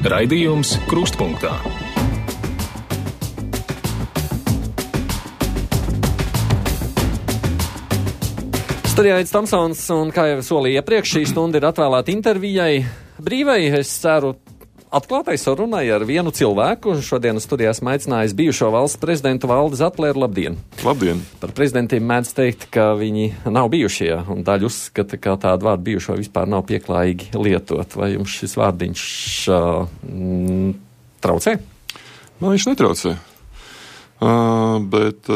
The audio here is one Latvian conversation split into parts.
Raidījums Krustpunktā. Studijā Aits Tomsons, un kā jau solīju iepriekš, šī stunda ir atvēlēta intervijai brīvai, es ceru, atklātai sarunai ar vienu cilvēku. Šodien studijā esmu aicinājis bijušo valsts prezidentu Valdi Zatlēru. Labdien! Labdien! Par prezidentiem mēdz teikt, ka viņi nav bijušie, un daļa uzskata, ka tādu vārdu bijušo vispār nav pieklājīgi lietot. Vai jums šis vārdiņš traucē? Man viņš netraucē, bet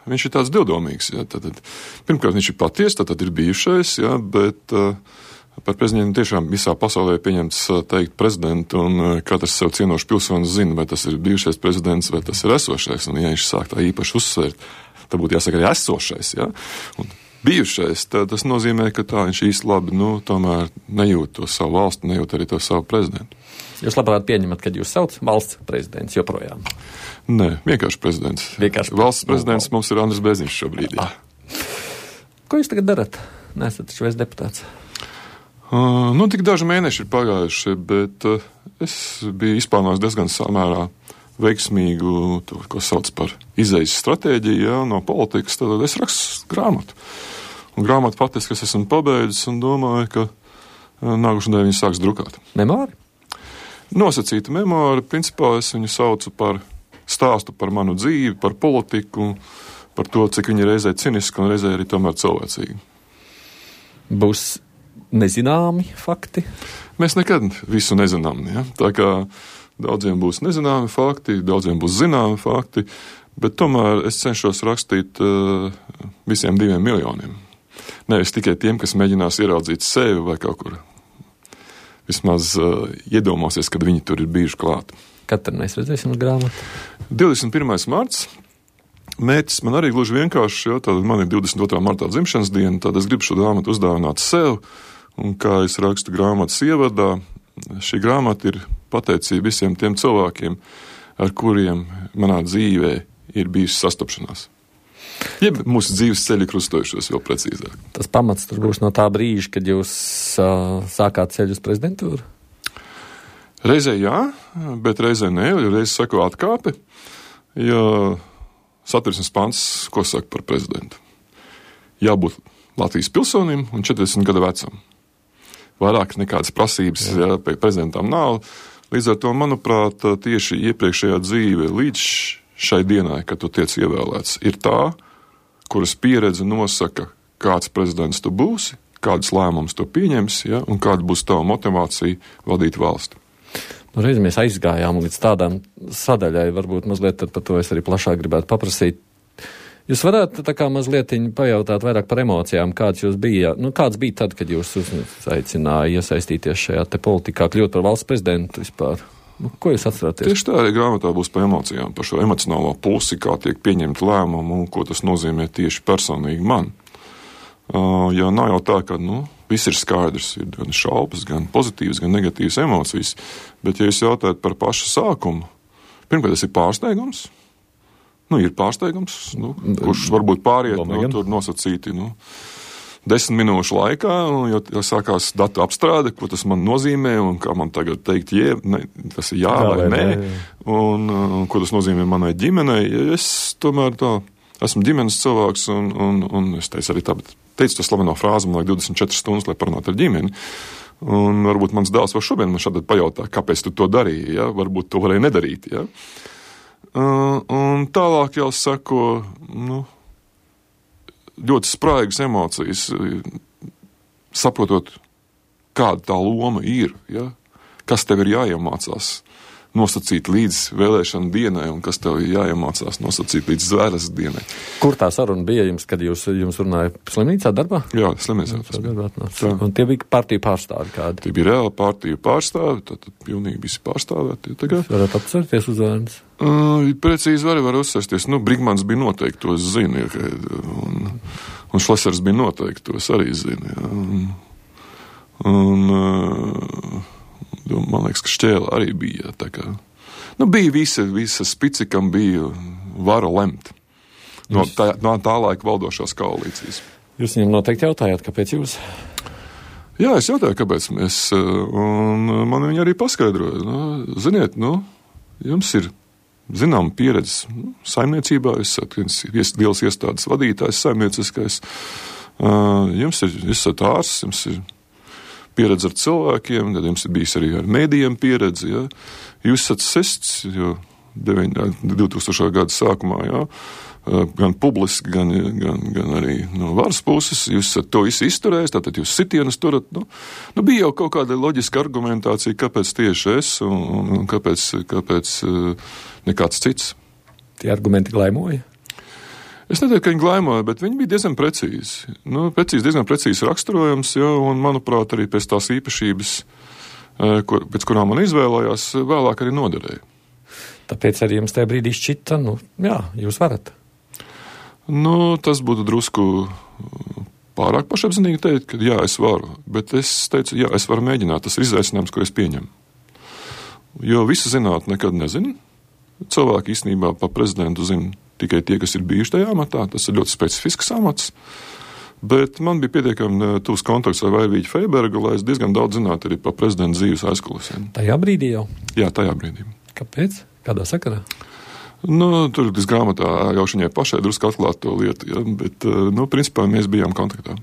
viņš ir tāds divdomīgs. Jā, tad, pirmkārt, viņš ir paties, tad ir bijušais, jā, bet par prezidentu tiešām visā pasaulē pieņemts teikt prezidentu, un katrs sev cienošs pilsonis zina, vai tas ir bijušais prezidents, vai tas ir esošais, un ja viņš sāk tā īpaši uzsvērt, tad būtu jāsaka arī esošais, jā. Un bijušais, tas nozīmē, ka tā viņš īsti labi, tomēr nejūt to savu valstu, nejūt arī to savu prezidentu. Jūs labprāt pieņemat, kad jūs sauc valsts prezidents joprojām? Nē, vienkārši prezidents. Valsts prezidents mums ir Andris Bēziņš šobrīd, jā. Ko jūs tagad darat? Nesat taču vairs deputāts. Tik daži mēneši ir pagājuši, bet es biju izplānojis diezgan samērā veiksmīgu, to, ko sauc par izejas stratēģiju, jā, no politikas, tad es rakstu grāmatu. Un grāmatu faktiski es esmu pabeidzis un domāju, ka nākošajā nedēļā viņi sāks drukāt. Memori? Nosacīta memori, principā es viņu saucu par stāstu par manu dzīvi, par politiku, par to, cik viņi reizē ciniski un reizē arī tomēr cilvēcīgi. Būs nezināmi fakti? Mēs nekad visu nezinām, ja? Tā kā daudziem būs nezināmi fakti, daudziem būs zināmi fakti, bet tomēr es cenšos rakstīt visiem 2 miljoniem. Nevis tikai tiem, kas mēģinās ieraudzīt sevi vai kaut kur vismaz iedomāsies, kad viņi tur ir bijuši klāt. Kad tad mēs redzēsim uz grāmatu? 21. marts. Mērķis man arī gluži vienkārši, jo tad man ir 22. martā dzimšanas diena, tad es gribu šo grāmatu uzdāvināt sev, un kā es rakstu grāmatas ievadā, šī grāmata ir pateicība visiem tiem cilvēkiem, ar kuriem manā dzīvē ir bijusi sastapšanās. Jeb mūsu dzīves ceļi krustojušos vēl precīzāk. Tas pamats tur būs no tā brīža, kad jūs sākāt ceļu uz prezidentūru? Reizē jā, bet reizē nē, jo reizē sako atkāpe, jo satversmes pants, ko saka par prezidentu. Jābūt Latvijas pilsonim un 40 gadu vecam. Vairāk nekādas prasības prezidentam nav. Līdz ar to, manuprāt, tieši iepriekšējā dzīve līdz šai dienai, kad tu tiec ievēlēts, ir tā, kuras pieredze nosaka, kāds prezidents tu būsi, kādus lēmumus tu pieņemsi, ja, un kāda būs tava motivācija vadīt valsti. Reiz mēs aizgājām līdz tādām sadaļai, varbūt mazliet par to es arī plašāk gribētu paprasīt. Jūs varētu tā kā mazlietiņ pajautāt vairāk par emocijām, kāds jūs bija, kāds bija tad, kad jūs aicināja iesaistīties šajā te politikā, kļūt par valsts prezidentu vispār? Ko jūs atceraties? Tieši tā arī grāmatā būs par emocijām, par šo emocionālo pusi, kā tiek pieņemt lēmumu un ko tas nozīmē tieši personīgi man. Jo nav jau tā, ka, viss ir skaidrs, ir gan šaubas, gan pozitīvas, gan negatīvas emocijas, bet ja jūs jautājat par pašu sākumu, pirmkārt, tas ir pārsteigums. Ir pārsteigums, kurš varbūt pāriet, tur nosacīti, 10 minūšu laikā, jo sākās datu apstrāde, ko tas man nozīmē, un kā man tagad teikt, tas ir jā vai nē, un ko tas nozīmē manai ģimenei. Es tomēr esmu ģimenes cilvēks, un es teicu arī teicu to slaveno frāzi, man liek 24 stundas, lai parunātu ar ģimeni. Un varbūt mans dēls vēl šodien man šādi pajautā, kāpēc tu to darīji, ja? Varbūt to varēja nedarīt, ja? Un tālāk jau sako, ļoti spraigas emocijas, saprotot, kāda tā loma ir, ja? Kas tev ir jāiemācās nosacīt līdz vēlēšanu dienai un kas tev ir jāiemācās nosacīt līdz zvēres dienai. Kur tā saruna bija jums, kad jums runāja slimnīcā darbā? Jā, slimnīcā. Un tie bija partiju pārstāvi kādi? Tie bija reāli partiju pārstāvi, tad pilnīgi visi pārstāvēti. Jūs varat atcerēties uzvārds? Precīzi var uzsēsties. Brigmans bija noteikti, to es zinu, un Šlesers bija noteikti, to es arī zinu. Man liekas, ka Šķēla arī bija. Tā kā, bija visa spici, kam bija vara lemt no tā laika valdošās koalīcijas. Jūs viņam noteikti jautājāt, kāpēc jūs? Jā, es jautāju, kāpēc mēs, un man viņi arī paskaidroja. Ziniet, jums ir zinām pieredze saimniecībā, jūs esat liels iestādes vadītājs, saimnieciskais. Jūs esat ārsts, jums ir pieredze ar cilvēkiem, tad jums ir bijis arī ar mēdījiem pieredze. Ja? Jūs esat sests, jo 2000. gada sākumā, ja? Gan publiski, gan arī no varas puses, jūs esat to visu izturējis, tātad jūs sitienus turat. Bija jau kaut kāda loģiska argumentācija, kāpēc tieši es un kāpēc nekāds cits. Tie argumenti glaimoja? Es neteiktu, ka viņi glaimoja, bet viņi bija diezgan precīzi. Diezgan precīzi raksturojams, ja, un, manuprāt, arī pēc tās īpašības, pēc kurām man izvēlējās, vēlāk arī noderēja. Tāpēc arī jums tajā brīdī šķita, jā, jūs varat. Tas būtu drusku pārāk pašapzinīgi teikt, ka jā, es varu, bet es teicu, jā, es varu mēģināt, tas ir izaicinājums, ko es pieņemu. Jo visu zināt nekad nezinu. Cilvēki īstenībā pa prezidentu zina tikai tie, kas ir bijuši tajā amatā, tas ir ļoti specifisks amats, bet man bija pietiekami tuvs kontakts ar Vaivīķu Freibergu, lai es diezgan daudz zinātu arī pa prezidenta dzīves aizkulisēm. Tajā brīdī jau? Jā, tajā brīdī. Kāpēc? Kādā sakarā? Tur tas grāmatā jau viņai pašai drusku atklāt to lietu, ja, bet, principā mēs bijām kontaktā.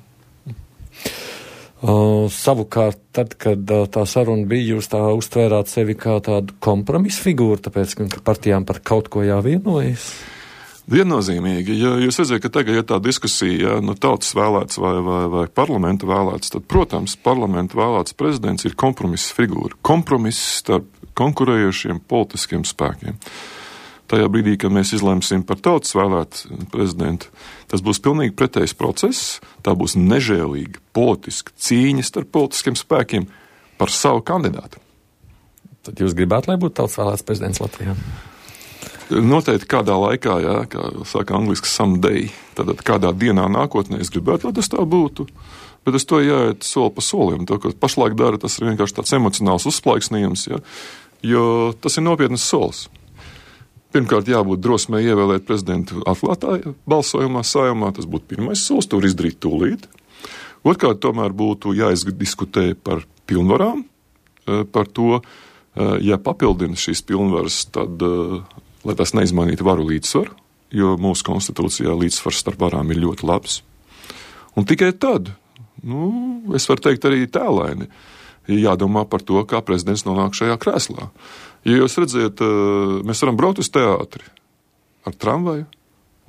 Savukārt, tad, kad tā saruna bija, jūs tā uztvērāt sevi kā tādu kompromisu figūru, tāpēc, ka partijām par kaut ko jāvienojas? Viennozīmīgi, ja jūs redzat, ka tagad, ja tā diskusija, tautas vēlēts vai parlamenta vēlēts, tad, protams, parlamenta vēlēts prezidents ir kompromisa figūra. Kompromiss starp konkurējošiem politiskiem spēkiem. Tajā brīdī, kad mēs izlemsim par tautas vēlētu prezidentu, tas būs pilnīgi pretējs process, tā būs nežēlīga politiska cīņa starp politiskiem spēkiem par savu kandidātu. Tad jūs gribētu, lai būtu tautas vēlēts prezidents Latvijā? Noteikti kādā laikā, jā, kā saka angliski someday, tad kādā dienā nākotnē es gribētu, lai tas tā būtu, bet es to jāiet soli pa solim. To, ko pašlaik dara, tas ir vienkārši tāds emocionāls uzsplaiksnījums, ja, jo tas ir nopietnas solis. Pirmkārt, jābūt drosmei ievēlēt prezidentu atklātā balsojumā, Saeimā, tas būtu pirmais solis, to var izdarīt tūlīt. Otrkārt, tomēr būtu jāizdiskutē par pilnvarām, par to, ja papildina šīs pilnvaras, tad, lai tas neizmainītu varu līdzsvaru, jo mūsu konstitūcijā līdzsvars starp varām ir ļoti labs. Un tikai tad, es varu teikt arī tēlaini, jādomā par to, kā prezidents nonāk šajā krēslā. Ja jūs redzat, mēs varam braukt uz teātri ar tramvaju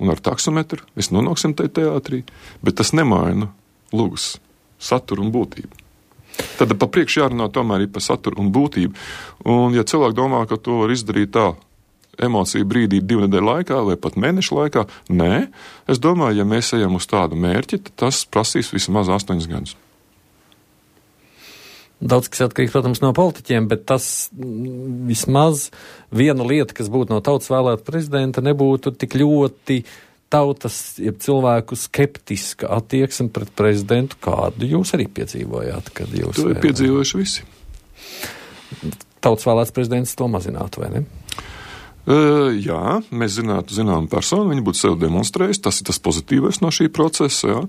un ar taksometru, mēs nonāksim tajā teātrī, bet tas nemaina lūgas saturu un būtību. Tad pa priekšu jārunā tomēr par saturu un būtību. Un ja cilvēki domā, ka to var izdarīt tā emociju brīdī 2 nedēļu laikā vai pat mēnešu laikā, nē, es domāju, ja mēs ejam uz tādu mērķi, tad tas prasīs vismaz 8 gadus. Daudz kas atkarīgs, protams, no politiķiem, bet tas vismaz viena lieta, kas būtu no tautas vēlēta prezidenta, nebūtu tik ļoti tautas, jeb cilvēku skeptiska attieksme pret prezidentu, kādu jūs arī piedzīvojāt, kad jūs... To ir piedzīvojuši visi. Tautas vēlēts prezidents to mazinātu, vai ne? Jā, mēs zinām personu, viņi būtu sev demonstrējis, tas ir tas pozitīvais no šī procesa, jā,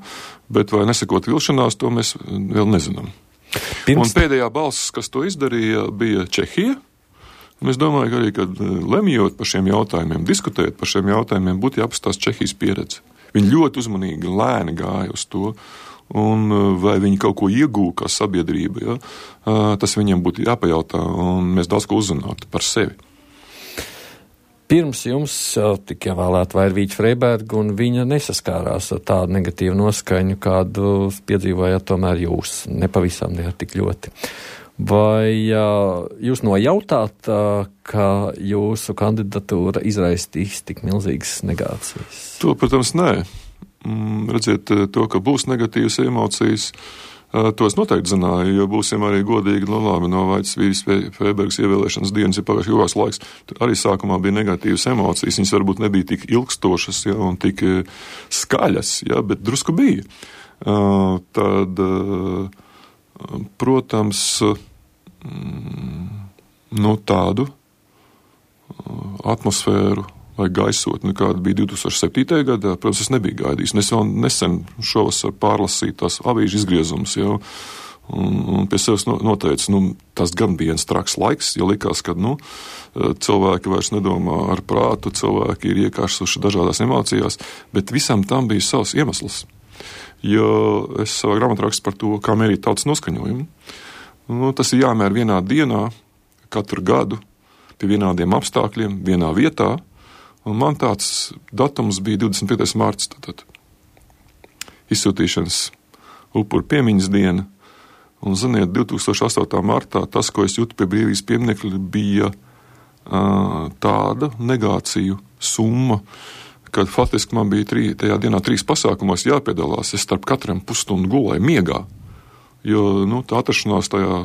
bet vai nesakot vilšanās, to mēs vēl nezinām. Un pēdējā balss, kas to izdarīja, bija Čehija. Un es domāju, ka arī, kad lemjot par šiem jautājumiem, diskutējot par šiem jautājumiem, būtu jāapstās Čehijas pieredze. Viņi ļoti uzmanīgi, lēni gāja uz to, un vai viņi kaut ko iegūja kā sabiedrība, ja? Tas viņiem būtu jāpajautā, un mēs daudz ko uzzinātu par sevi. Pirms jums tika ievēlēta Vaivīķa Freiberga, un viņa nesaskārās ar tādu negatīvu noskaņu, kādu piedzīvojāt tomēr jūs, nepavisam ne tik ļoti. Vai jūs nojautāt, ka jūsu kandidatūra izraisīs tik milzīgas negācijas? To, protams, nē. Redziet, to, ka būs negatīvas emocijas, to es noteikti zināju, jo būsim arī godīgi, labi, no Vaivīķas Freibergas ievēlēšanas dienas ir pagājuši ilgāks laiks. Arī sākumā bija negatīvas emocijas, viņas varbūt nebija tik ilgstošas, ja, un tik skaļas, ja, bet drusku bija. Tad, protams, tādu atmosfēru vai gaisotni, kāda bija 2007. gadā, protams, es nebiju gaidījis. Es vēl nesen šovasar pārlasīju tās avīžu izgriezumus jau, Un pie sevis noteica, tas gan bija viens traks laiks, jo likās, ka, cilvēki vairs nedomā ar prātu, cilvēki ir iekārsuši dažādās emocijās, bet visam tam bija savs iemesls. Jo es savā grāmatā rakstu par to, kā mērīt tautas noskaņojumu. Tas ir jāmēr vienā dienā, katru gadu, pie vienādiem apstākļiem, vienā vietā, un man tāds datums bija 25. mārts, tātad izsūtīšanas upuru piemiņas diena. Un, ziniet, 2008. martā tas, ko es jūtu pie brīvības pieminekļa, bija tāda negāciju summa, kad faktiski man bija tajā dienā 3 pasākumos jāpiedalās. Es starp katram pusstundu gulēju miegā, jo tā atrašanās tajā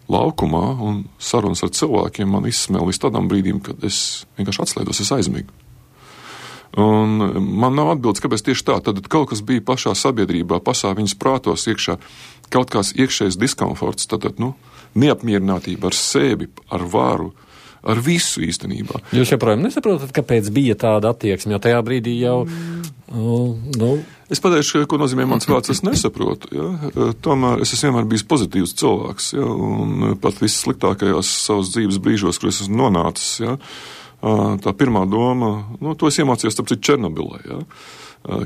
laukumā un sarunas ar cilvēkiem man izsmēl līdz tādam brīdim, kad es vienkārši atslēdos, es aizmigu. Un man nav atbildes, kāpēc tieši tā. Tad kaut kas bija pašā sabiedrībā, viņas prātos iekšā, kaut kāds iekšējs diskomforts, neapmierinātība ar sevi, ar varu, ar visu īstenībā. Jūs joprojām nesaprotat, kāpēc bija tāda attieksme, jo tajā brīdī jau, Es pateikšu, ko nozīmē mans vārds, es nesaprotu. Ja? Tomēr es esmu vienmēr bijis pozitīvs cilvēks, ja? Un pat vissliktākajās savas dzīves brīžos, kur es esmu nonācis, ja? Tā pirmā doma, to es iemācījos, tāpēc Černobilē, ja?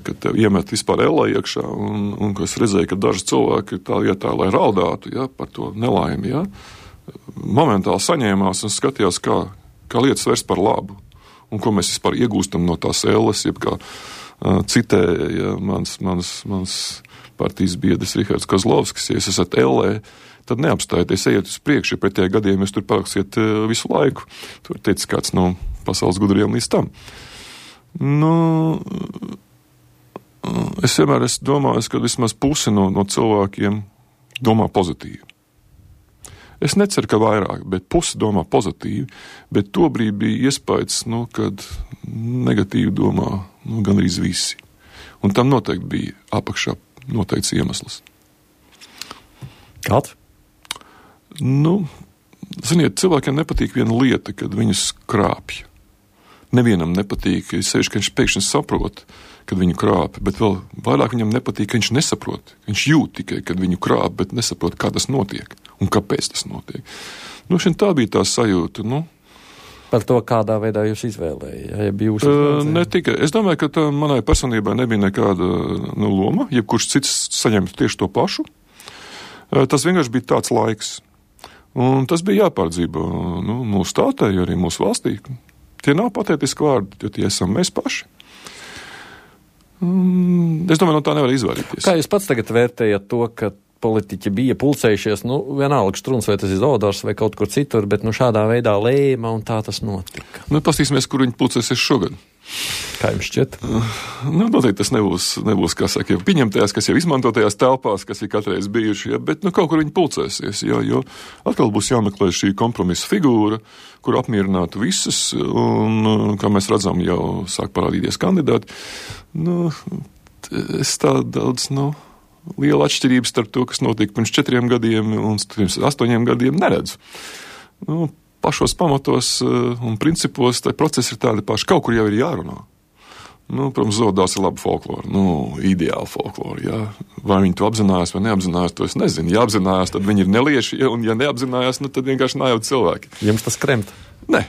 Kad tev iemet vispār ellē iekšā, un ko es redzēju, ka daži cilvēki tā vietā, lai raudātu, ja? Par to nelaimi, ja? Momentāli saņēmās un skatījās, kā lietas vērst par labu, un ko mēs vispār iegūstam no tās elles, jeb kā citēja mans partijas biedrs Rihards Kozlovskis, ja jūs esat ellē, tad neapstājieties, ejiet uz priekšu, jo pretējā gadījumā jūs tur paliksiet visu laiku. Tur teica kāds no pasaules gudriem līdz tam. Es vienmēr esmu domājis, ka vismaz pusi no cilvēkiem domā pozitīvi. Es neceru, ka vairāk, bet pusi domā pozitīvi, bet tobrīd bija iespējas, kad negatīvi domā gandrīz visi. Un tam noteikti bija apakšā noteikts iemesls. Kāds? Ziniet, cilvēkiem nepatīk viena lieta, kad viņus krāpj. Nevienam nepatīk, sevišķi, ka viņš pēkšņi saprot, kad viņu krāp, bet vēl vairāk viņam nepatīk, ka viņš nesaprot. Viņš jūt tikai, kad viņu krāp, bet nesaprot, kā tas notiek un kāpēc tas notiek. Tā bija tā sajūta, Par to, kādā veidā jūs izvēlējāt? Ne tikai. Es domāju, ka manai personībai nebija nekāda loma, jebkurš cits saņemtu tieši to pašu. Tas vienkārši bija tāds laiks. Un tas bija jāpārdzīvo mūsu tautai, arī mūsu valstī. Tie nav patētiski vārdi, jo tie esam mēs paši. Es domāju, no tā nevar izvairīties. Kā jūs pats tagad vērtējat to, ka politiķi bija pulcējušies, vienalga Štruns, vai tas ir Zaudārs vai kaut kur citur, bet šādā veidā lēma un tā tas notika? Pastīsimies, kur viņi pulcēsies šogad. Kā jums šķiet? Noteikti tas nebūs, kā saka, jau pieņemtajās, kas jau izmantotajās telpās, kas ir katreiz bijuši, bet kaut kur viņi pulcēsies, jo atkal būs jāmeklē šī kompromisa figūra, kur apmierinātu visus, un, kā mēs redzam, jau sāk parādīties kandidāti. Es tā daudz, liela atšķirības starp to, kas notika pirms 4 gadiem un pirms 8 gadiem neredzu. Pašos pamatos un principos tā procesi ir tādi paši. Kaut kur jau ir jārunā. Protams, Zaudārs ir laba folklora, ideāla folklora, jā. Vai viņi to apzinājās vai neapzinājās, to es nezinu. Ja apzinājās, tad viņi ir nelieši, un ja neapzinājās, tad vienkārši nājauti cilvēki. Jums tas kremt? Nē.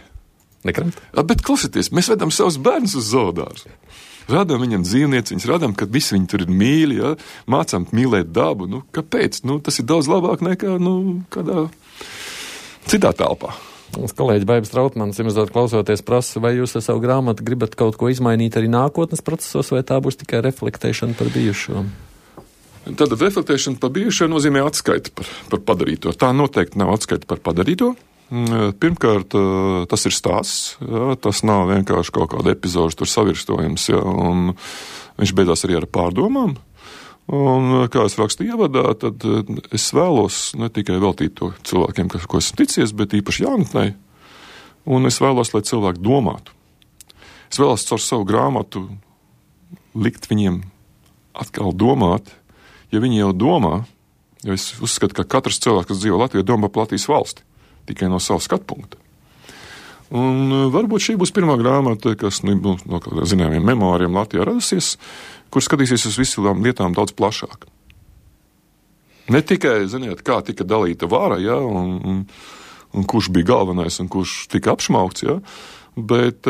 Nekremt? Bet klausieties, mēs vedam savus bērnus uz Zaudārs. Rādām viņam dzīvnieciņus, rādām, ka visi viņi tur ir mīļi, ja? Mācām mīlēt dabu. Kāpēc? Tas ir daudz labāk nekā kādā citā telpā. Mums kolēģi Baibs Trautmans, iemazot klausoties, prasa, vai jūs ar savu grāmatu gribat kaut ko izmainīt arī nākotnes procesos, vai tā būs tikai reflektēšana par bijušo? Tātad reflektēšana par bijušo nozīmē atskaiti par padarīto. Tā noteikti nav atskaiti par padarīto. Pirmkārt, tas ir stāsts, ja, tas nav vienkārši kaut kāda epizoda tur savirstojums, ja, un viņš beidzās arī ar pārdomām. Un, kā es rakstīju ievadā, tad es vēlos ne tikai veltīt to cilvēkiem, ko esmu ticies, bet īpaši jaunatnei, un es vēlos, lai cilvēki domātu. Es vēlos caur savu grāmatu likt viņiem atkal domāt, ja viņi jau domā, jo es uzskatu, ka katrs cilvēks, kas dzīvo Latvijā, domā par Latvijas valsti. Tikai no savu skatu punktu. Un varbūt šī būs pirmā grāmata, kas no zināmiem memoāriem Latvijā radusies, kur skatīsies uz visām lietām daudz plašāk. Ne tikai, ziniet, kā tika dalīta vara, ja, un kurš bija galvenais un kurš tika apšmaukts, ja, bet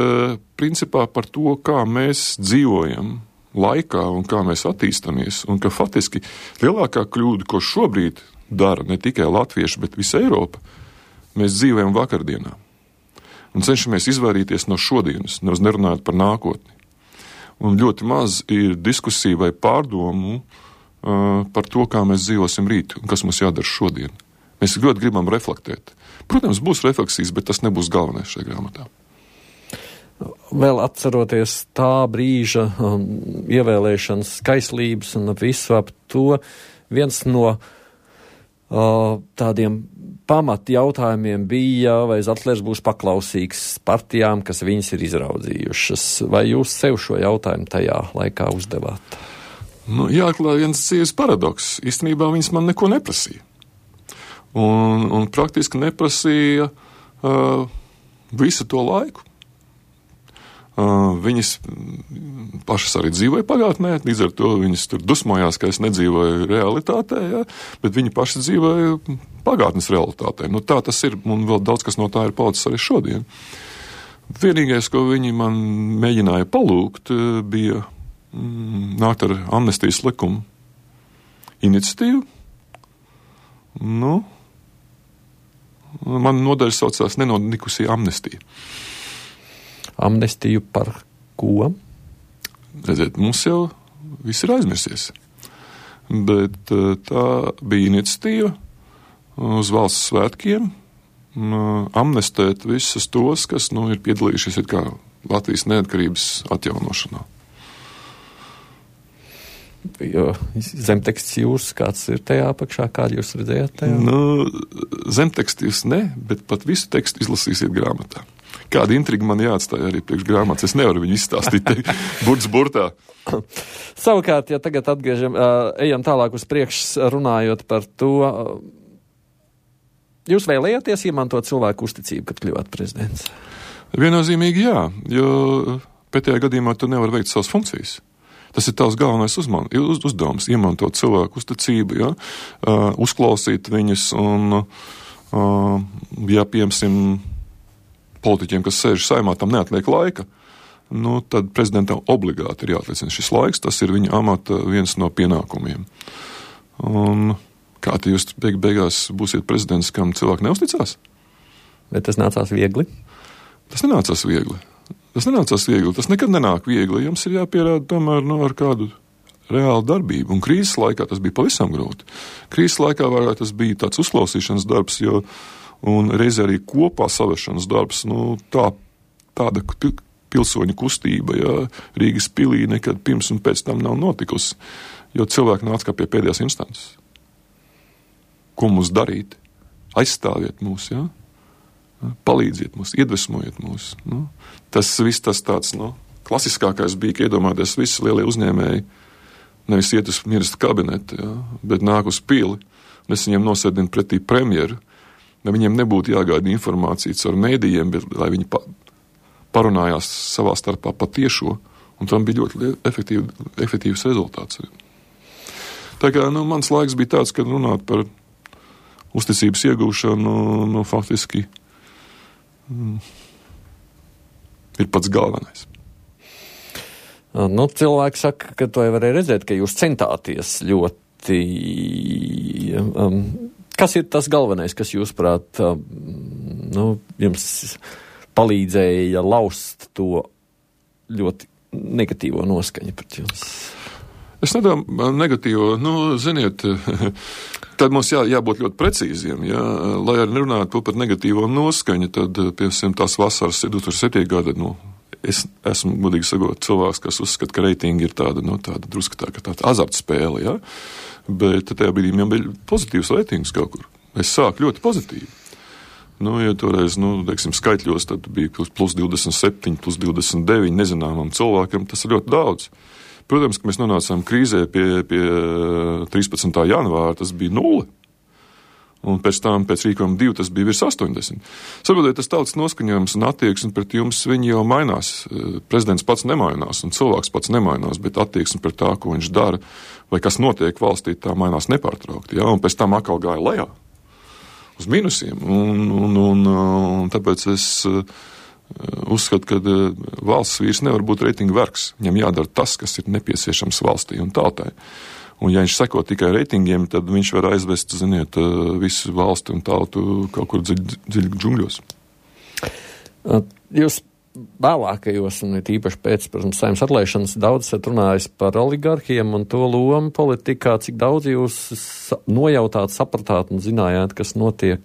principā par to, kā mēs dzīvojam laikā un kā mēs attīstamies, un ka faktiski lielākā kļūda, ko šobrīd dara ne tikai latvieši, bet visa Eiropa, mēs dzīvojam vakardienā. Un cenšamies izvairīties no šodienas, nevis nerunājot par nākotni. Un ļoti maz ir diskusija vai pārdomu par to, kā mēs dzīvosim rīt un kas mums jādara šodien. Mēs ļoti gribam reflektēt. Protams, būs refleksijas, bet tas nebūs galvenais šajā grāmatā. Vēl atceroties tā brīža ievēlēšanas skaislības un visu ap to, viens no tādiem pamat jautājumiem bija, vai Zatlers būs paklausīgs partijām, kas viņas ir izraudzījušas. Vai jūs sev šo jautājumu tajā laikā uzdevāt? Nu, jāklāj viens dzīves paradoks. Īstenībā viņas man neko neprasīja. Un praktiski neprasīja visu to laiku. Viņas pašas arī dzīvoja pagātnē, līdz ar to viņas tur dusmojās, ka es nedzīvoju realitātē, ja, bet viņi paši dzīvoja pagātnes realitātē. Nu, tā tas ir, un vēl daudz kas no tā ir palicis arī šodien. Vienīgais, ko viņi man mēģināja palūgt, bija nākt ar amnestijas likumu iniciatīvu. Nu, man nodaļa saucās nenodikusī amnestija. Amnestiju par ko? Redziet, mums jau viss ir aizmirsies. Bet tā bija iniciatīva uz valsts svētkiem amnestēt visus tos, kas ir piedalījušies kā Latvijas neatkarības atjaunošanā. Jo zemteksts jūras, kāds ir tajā apakšā, kādu jūs redzējāt tajā? Nu, zemteksts jūs ne, bet pat visu tekstu izlasīsiet grāmatā. Kāda intriga man jāatstāja arī priekš grāmatas. Es nevaru viņu izstāstīt burts burtā. Savukārt, ja tagad ejam tālāk uz priekšu runājot par to, jūs vēlējāties izmantot cilvēku uzticību, kad kļuvāt prezidents? Viennozīmīgi jā, jo pēdējā gadījumā tu nevari veikt savas funkcijas. Tas ir tavs galvenais uzdevums, izmantot cilvēku uzticību, ja? Uzklausīt viņus un, ja piemēram, politiķiem, kas sēž Saeimā, tam neatliek laika, tad prezidentam obligāti ir jāatliecina šis laiks, tas ir viņa amata viens no pienākumiem. Un kā te jūs beigās būsiet prezidents, kam cilvēki neusticās? Bet tas nācās viegli? Tas nenācās viegli. Tas nekad nenāk viegli. Jums ir jāpierāda tomēr ar kādu reālu darbību. Un krīzes laikā tas bija pavisam grūti. Krīzes laikā vairāk tas bija tāds uzklausīšanas darbs, un reizē arī kopā savešanas darbs, tāda pilsoņu kustība, ja, Rīgas pilī nekad pirms un pēc tam nav notikusi, jo cilvēki nāca kā pie pēdējās instances. Ko mums darīt? Aizstāviet mūs, ja? Palīdziet mums, iedvesmojiet mūs. Tas viss tas tāds, klasiskākais bija, ka iedomāties visi lielie uzņēmēji, nevis iet uz ministra kabinetu, ja, bet nāk uz pili, un es viņiem nosēdinu pretī premjeru, lai viņiem nebūtu jāgaida informācija caur mēdījiem, bet lai viņi parunājās savā starpā patiešo, un tam bija ļoti efektīvs rezultāts. Tā kā, mans laiks bija tāds, kad runāt par uzticības iegūšanu, faktiski ir pats galvenais. Cilvēki saka, ka to jau varēja redzēt, ka jūs centāties ļoti... Kas ir tas galvenais, kas jūsuprāt, jums palīdzēja laust to ļoti negatīvo noskaņu pret jums? Es nedomāju negatīvo, ziniet, tad mums jābūt ļoti precīziem, ja, lai arī nerunātu par negatīvo noskaņu, tad, piemēram, tās vasaras 2007. gada, es esmu, godīgi sakot, cilvēks, kas uzskata, ka reitingi ir tāda drusku tāda azartspēle, ja, bet tajā brīdī man bija pozitīvs reitings kaut kur. Es sāku ļoti pozitīvi. Ja toreiz, skaitļos, tad bija plus 27, plus 29 nezināmam cilvēkam, tas ir ļoti daudz. Protams, ka mēs nonācām krīzē pie 13. janvāra, tas bija 0. Un pēc tam, pēc rīkojuma 2, tas bija virs 80. Saprotiet, tas tautas noskaņojums un attieksme pret jums, viņi jau mainās. Prezidents pats nemainās un cilvēks pats nemainās, bet attieksme pret tā, ko viņš dara, vai kas notiek valstī, tā mainās nepārtraukti. Ja? Un pēc tam atkal gāja lejā uz minusiem. Un tāpēc es uzskatu, ka valsts vīrs nevar būt reitinga vergs. Viņam jādara tas, kas ir nepieciešams valstī un tautai. Un ja viņš seko tikai reitingiem, tad viņš var aizvest, ziniet, visu valsti un tautu kaut kur dziļi džungļos. Jūs vēlākajos, un īpaši pēc, protams, Saeimas atlaišanas, daudz esat runājis par oligarhiem un to lomu politikā, cik daudz jūs nojautāt, sapratāt un zinājāt, kas notiek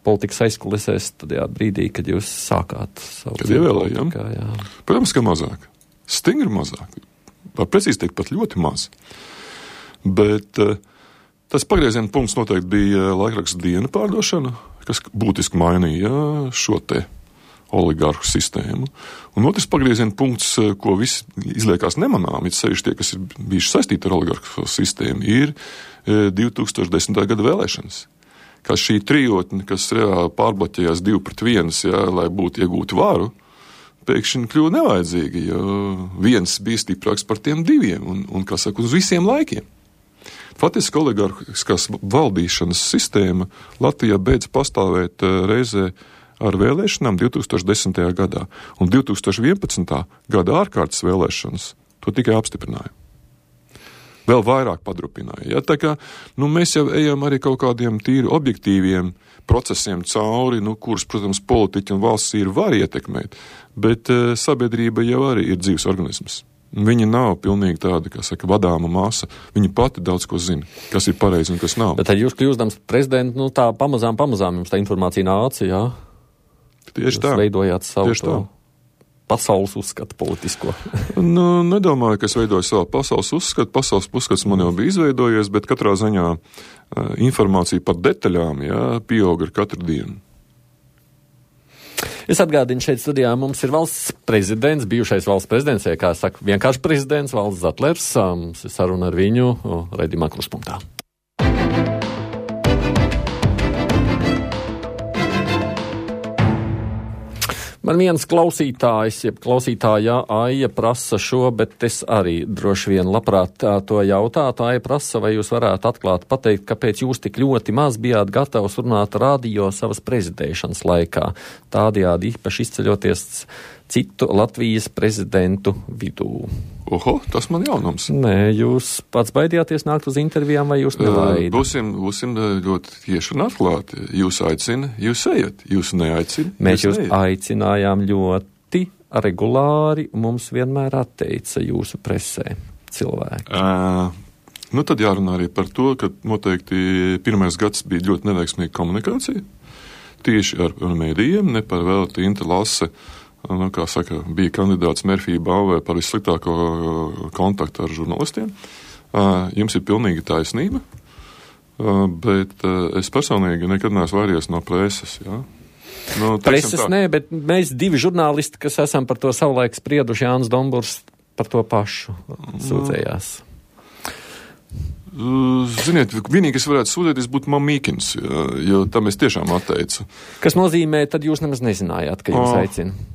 politikas aizkulisēs tajā brīdī, kad jūs sākāt savu kad ievēlējām? Protams, ka mazāk. Stingri mazāk. Var precīzi teikt, pat ļoti maz. Bet tas pagrieziena punkts noteikti bija laikraksta Diena pārdošana, kas būtiski mainīja šo te oligarhu sistēmu. Un otrs pagrieziena punkts, ko visi izliekās nemanām, it sevišķi tie, kas ir bijuši saistīti ar oligarhu sistēmu, ir 2010. gada vēlēšanas. Kā šī trijotne, kas reāli pārbloķējās 2-1, lai būtu iegūtu varu, pēkšņi kļuva nevajadzīgi, jo viens bija stiprāks par tiem diviem un kā saka, uz visiem laikiem. Faktiski oligarhiskās valdīšanas sistēma Latvijā beidz pastāvēt reizē ar vēlēšanām 2010. gadā, un 2011. gada ārkārtas vēlēšanas to tikai apstiprināja. Vēl vairāk padrupināja. Ja? Tā kā mēs jau ejam arī kaut kādiem tīri objektīviem procesiem cauri, kurus, protams, politiķi un valsts ir var ietekmēt, bet sabiedrība jau arī ir dzīves organisms. Viņa nav pilnīgi tāda, kā saka, vadāma masa. Viņa pati daudz ko zina, kas ir pareizi un kas nav. Bet tad jūs kļūstams prezidentu, tā pamazām jums tā informācija nāca, jā? Tieši tā. Jūs veidojāt savu pasaules uzskatu politisko. Nedomāju, ka es veidoju savu pasaules uzskatu. Pasaules uzskats man jau bija izveidojies, bet katrā ziņā informācija par detaļām, pieauga ar katru dienu. Es atgādinu, šeit studijā mums ir valsts prezidents, bijušais valsts prezidents, kā saka, vienkārši prezidents Valds Zatlers. Mums ir saruna ar viņu raidījumā Kruspunktā. Man viens klausītājs, jeb klausītājā Aija prasa šo, bet es arī droši vien labprāt to jautātu. Aija prasa, vai jūs varētu atklāt pateikt, kāpēc jūs tik ļoti maz bijāt gatavs runāt radio savas prezidēšanas laikā, tādējādi īpaši izceļoties citu Latvijas prezidentu vidū. Oho, tas man jaunums. Nē, jūs pats baidījāties nākt uz intervijām, vai jūs nelaidi? Būsim ļoti tieši un atklāti. Jūs aicina, jūs ejat. Jūs neaicina, mēs jūs aicinājām ļoti regulāri, un mums vienmēr atteica jūsu presē cilvēki. Tad jārunā arī par to, ka noteikti pirmais gads bija ļoti neveiksmīga komunikācija. Tieši ar mēdījiem, ne par velti Interlase. Kā saka, bija kandidāts Mērfija balvē par vissliktāko kontaktu ar žurnālistiem. Jums ir pilnīgi taisnība, bet es personīgi nekad neesmu vairies no preses. Ja? Preses nē, bet mēs divi žurnālisti, kas esam par to savulaik sprieduši, Jānis Domburs par to pašu sūdzējās. Ziniet, vienīgi, kas varētu sūdzēties, būtu Mamīkins, jo tam es tiešām atteicu. Kas nozīmē, tad jūs nemaz nezinājāt, ka jūs aicina?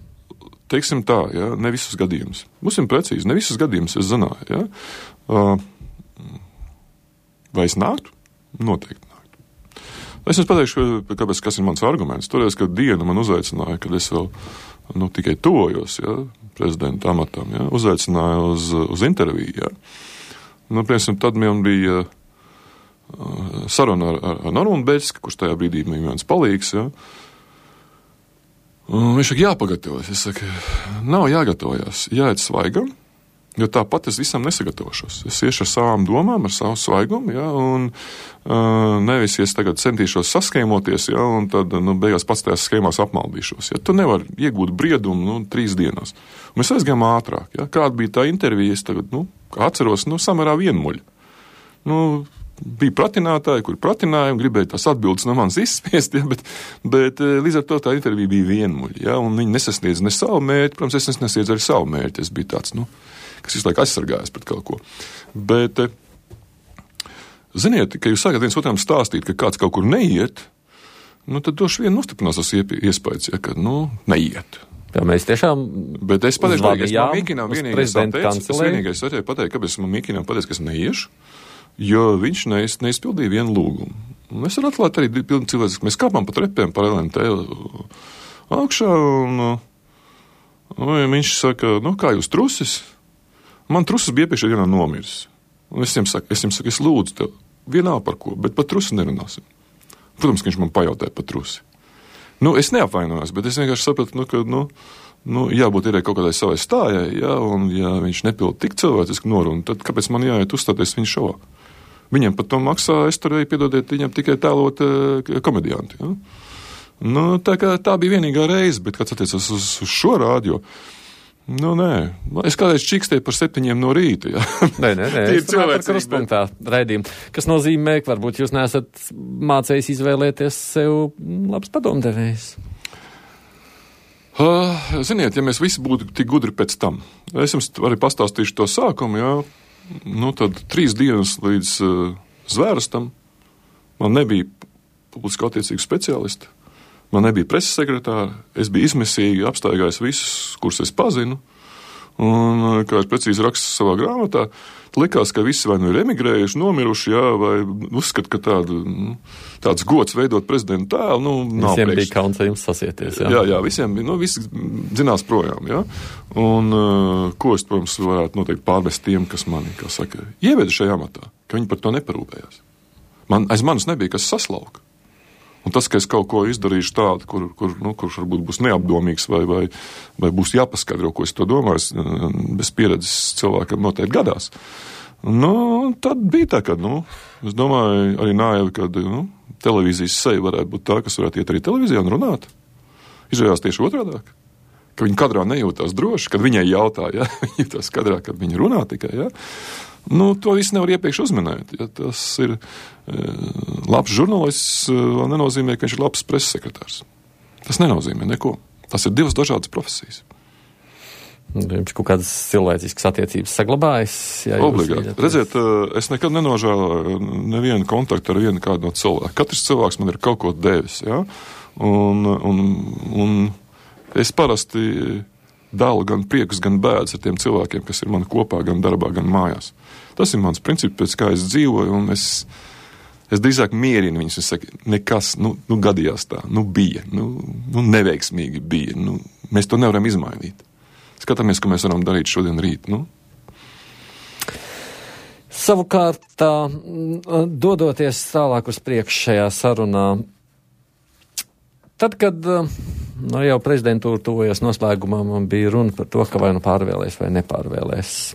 Teiksim tā, ne visus gadījumus. Būsim precīzi, ne visus gadījumus es zināju. Ja? Vai es nāktu? Noteikti nāktu. Es jums pateikšu, kāpēc, kas ir mans arguments. Toreiz, kad Diena man uzaicināja, kad es vēl tikai tojos prezidenta amatam, uzaicināja uz interviju. Piemēram, tad man bija saruna ar Normundu Beļsku, kurš tajā brīdī bija viens palīgs. Viņš saka, jāpagatavojas. Es saku, nav jāgatavojas, jāiet svaigam, jo tāpat es visam nesagatavošos. Es iešu ar savām domām, ar savu svaigumu, un nevis es tagad centīšos saskēmoties, un tad beigās pats tajās skēmās apmaldīšos. Tu nevari iegūt briedumu 3 dienās. Un mēs aizgājām ātrāk. Kāda bija tā intervija, es tagad, atceros, samērā vienmuļa. Bija pratinātāji, kuri pratināja un gribēja tās atbildes no manis izspiest, bet līdz ar to tā intervija bija vienmuļa, un viņi nesasniedz ne savu mērķi, protams, es nesasniedzu arī savu mērķi, es biju tāds, kas visu laiku aizsargājās pret kaut ko. Bet Ziniet, ka jūs sākat viens otram stāstīt, ka kāds kaut kur neiet, tad droši vien nostiprinās tas iespējas, ja, ka, neiet. Jā, mēs tiešām Bet es pateikšu, ka es man Mīkinām vienīgais varēju pateikt, kāpēc man Mīkinām pateicu, ka es neiešu, jo viņš neizpildīja vienu lūgumu. Un es varu atklāt arī pilni cilvēks, ka mēs kāpām pa trepēm par LNT augšā, un viņš saka, kā jūs trusis? Man trusis bija iepriekšējā dienā nomiris. Un es viņam saku, es lūdzu tev, vienā par ko, bet par trusi nerunāsim. Protams, ka viņš man pajautāja par trusi. Es neapvainojos, bet es vienkārši sapratu, ka, jābūt ir kaut kādai savai stājai, ja, un ja viņš nepilda tik cilvēcisku norunu, tad kāpēc man jāiet uzstāties viņa šovā? Viņam par to maksā, es turēju, piedodiet, viņam tikai tēlot komedianti, ja. Tā bija vienīgā reize, bet kāds attiecas uz šo rādio, nē. Es kādreiz čikstēju par 7 no rīta, ja. Nē, es runāju par Krustpunktā raidījumu, kas nozīmē, ka varbūt jūs neesat mācējis izvēlēties sev labs padomdevējs. Ziniet, ja mēs visi būtu tik gudri pēc tam, es jums arī pastāstīšu to sākumu, jā, tad 3 dienas līdz zvērstam man nebija publiski attiecīgu speciālistu. Man nebija preses sekretāra, es biju izmisīgi apstaigājis visus, kurus es pazinu, un, kā es precīzi rakstu savā grāmatā, likās, ka visi vai ir emigrējuši, nomiruši, jā, vai uzskat, ka tāds gods veidot prezidentu tēlu, nav visiem bija kauns ar jums sasieties, jā. Jā, visiem bija, visi zinās projām, jā, un ko es, protams, varētu noteikti pārvest tiem, kas mani, kā saka, ieveda šajā amatā, ka viņi par to neparūpējās. Aiz manis nebija kas saslauka. Un tas, ka es kaut ko izdarīšu tādu, kurš varbūt būs neapdomīgs vai būs jāpaskaidro, ko es to domāju, bez pieredzes cilvēkam noteikti gadās. Tad bija tā, ka, es domāju, arī naivi, kad televīzijas seja varētu būt tā, kas varētu iet arī televīzijā un runāt. Izrādās tieši otrādāk. Ka viņa kadrā nejūtās droši, kad viņai jautā, ja, viņa jūtās kadrā, kad viņa runā tikai, ja. To visu nevar iepriekš uzminēt. Ja tas ir labs žurnālists, vēl nenozīmē, ka viņš ir labs preses sekretārs. Tas nenozīmē neko. Tas ir 2 dažādas profesijas. Jums kaut kādas cilvēciskas attiecības saglabājas? Obligāti. Redziet, es nekad nenožēloju nevienu kontaktu ar vienu kādu no cilvēku. Katrs cilvēks man ir kaut ko devis, ja? Un es parasti dalu gan priekus, gan bēdas ar tiem cilvēkiem, kas ir mani kopā, gan darbā, gan mājās. Tas ir mans princips, pēc kā es dzīvoju, un es drīzāk mierinu viņus. Es saku, nekas, gadījās tā, bija, neveiksmīgi bija, mēs to nevaram izmainīt. Skatāmies, ko mēs varam darīt šodien rīt, Savukārt, dodoties tālāk uz priekšu šajā sarunā, tad, kad jau prezidentūra tuvojas noslēgumā, man bija runa par to, ka vai pārvēlēs vai nepārvēlēs.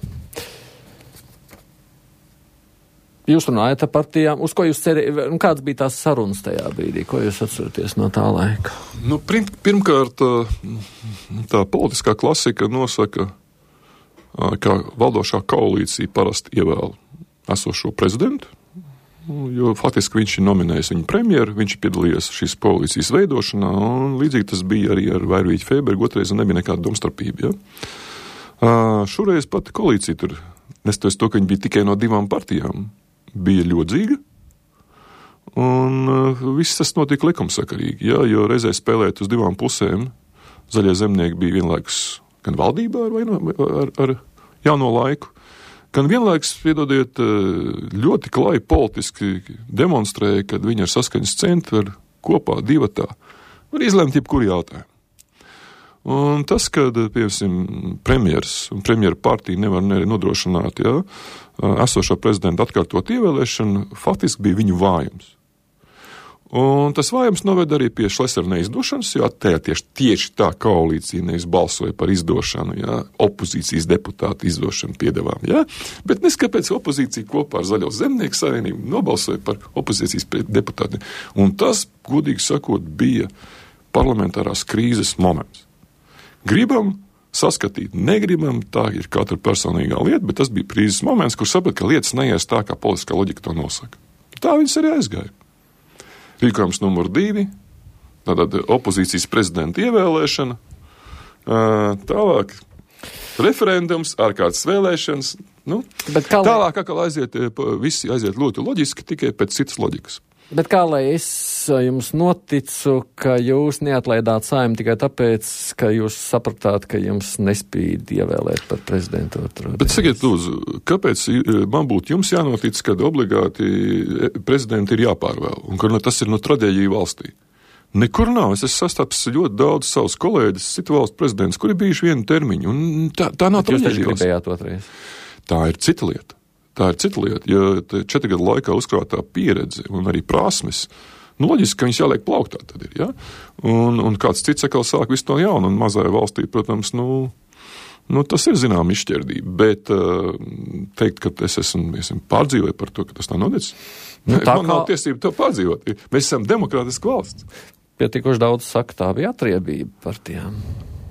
Jūs runājat ar partijām, uz ko jūs cerējāt, kāds bija tās sarunas tajā brīdī, ko jūs atceraties no tā laika? Pirmkārt, tā politiskā klasika nosaka, ka valdošā koalīcija parasti ievēl esošo prezidentu, jo faktiski viņš ir nominējis viņu premjeru, viņš piedalījies šīs koalīcijas veidošanā, un līdzīgi tas bija arī ar Vairvīķu Feibergu, otrais nebija nekāda domstarpība. Ja? Šoreiz pati koalīcija tur, nestoties to, ka viņi bija tikai no 2 partijām, bija ļodzīga, un viss tas notika likumsakarīgi, ja? Jo reizē spēlēt uz 2 pusēm, zaļie zemnieki bija vienlaikus gan valdībā ar jauno laiku, gan vienlaikus, piedodiet, ļoti klāji politiski demonstrēja, kad viņi ar saskaņas centru var kopā, divatā, var izlemt jebkuru jautājumu. Un tas, kad, piemēram, premjeras un premjera partija nevar nodrošināt, ja, esošā prezidenta atkārtot ievēlēšanu, faktiski bija viņu vājums. Un tas vājums noved arī pie Šlesera neizdošanas, jo tieši tā koalīcija nevis balsoja par izdošanu, ja, opozīcijas deputātu izdošanu piedevām, ja, bet neskapēc opozīcija kopā ar Zaļo zemnieku savienību nobalsoja par opozīcijas deputātiem. Un tas, godīgi sakot, bija parlamentārās krīzes moments. Gribam saskatīt, negribam, tā ir katra personīgā lieta, bet tas bija krīzes moments, kur saprat, ka lietas neies tā, kā politiskā loģika to nosaka. Tā viņas arī aizgāja. Rīkojums numur 2, tātad opozīcijas prezidenta ievēlēšana, tālāk. referendums, ārkārtas vēlēšanas. Nu, tālāk visi aiziet ļoti loģiski, tikai pēc citas loģikas. Bet kā lai es jums noticu, ka jūs neatlaidāt Saeimu tikai tāpēc, ka jūs sapratāt, ka jums nespīd ievēlēt par prezidentu otru? Bet sakiet, lūdzu, kāpēc man būtu jums jānotic, kad obligāti prezidenti ir jāpārvēl un ka tas ir traģēdija valstī? Nekur nav. Es esmu sastapis ļoti daudz savus kolēģis, citu valstu prezidents, kuri bijuši vienu termiņu. Un tā nav traģēdija. Jūs gribējāt otrais? Tā ir cita lieta. Ja 4 gadu laikā uzkrātā pieredze un arī prasmes, loģiski, ka viņas jāliek plauktā tad ir, ja? Un kāds cits atkal sāk visu to jaunu, un mazajā valstī, protams, tas ir zinām izšķirdība, bet teikt, ka es esmu pārdzīvoju par to, ka tas nav noticis, man nav tiesība to pārdzīvot. Mēs esam demokrātiska valsts. Pietiekoši daudz saka, tā bija atriebība partijām.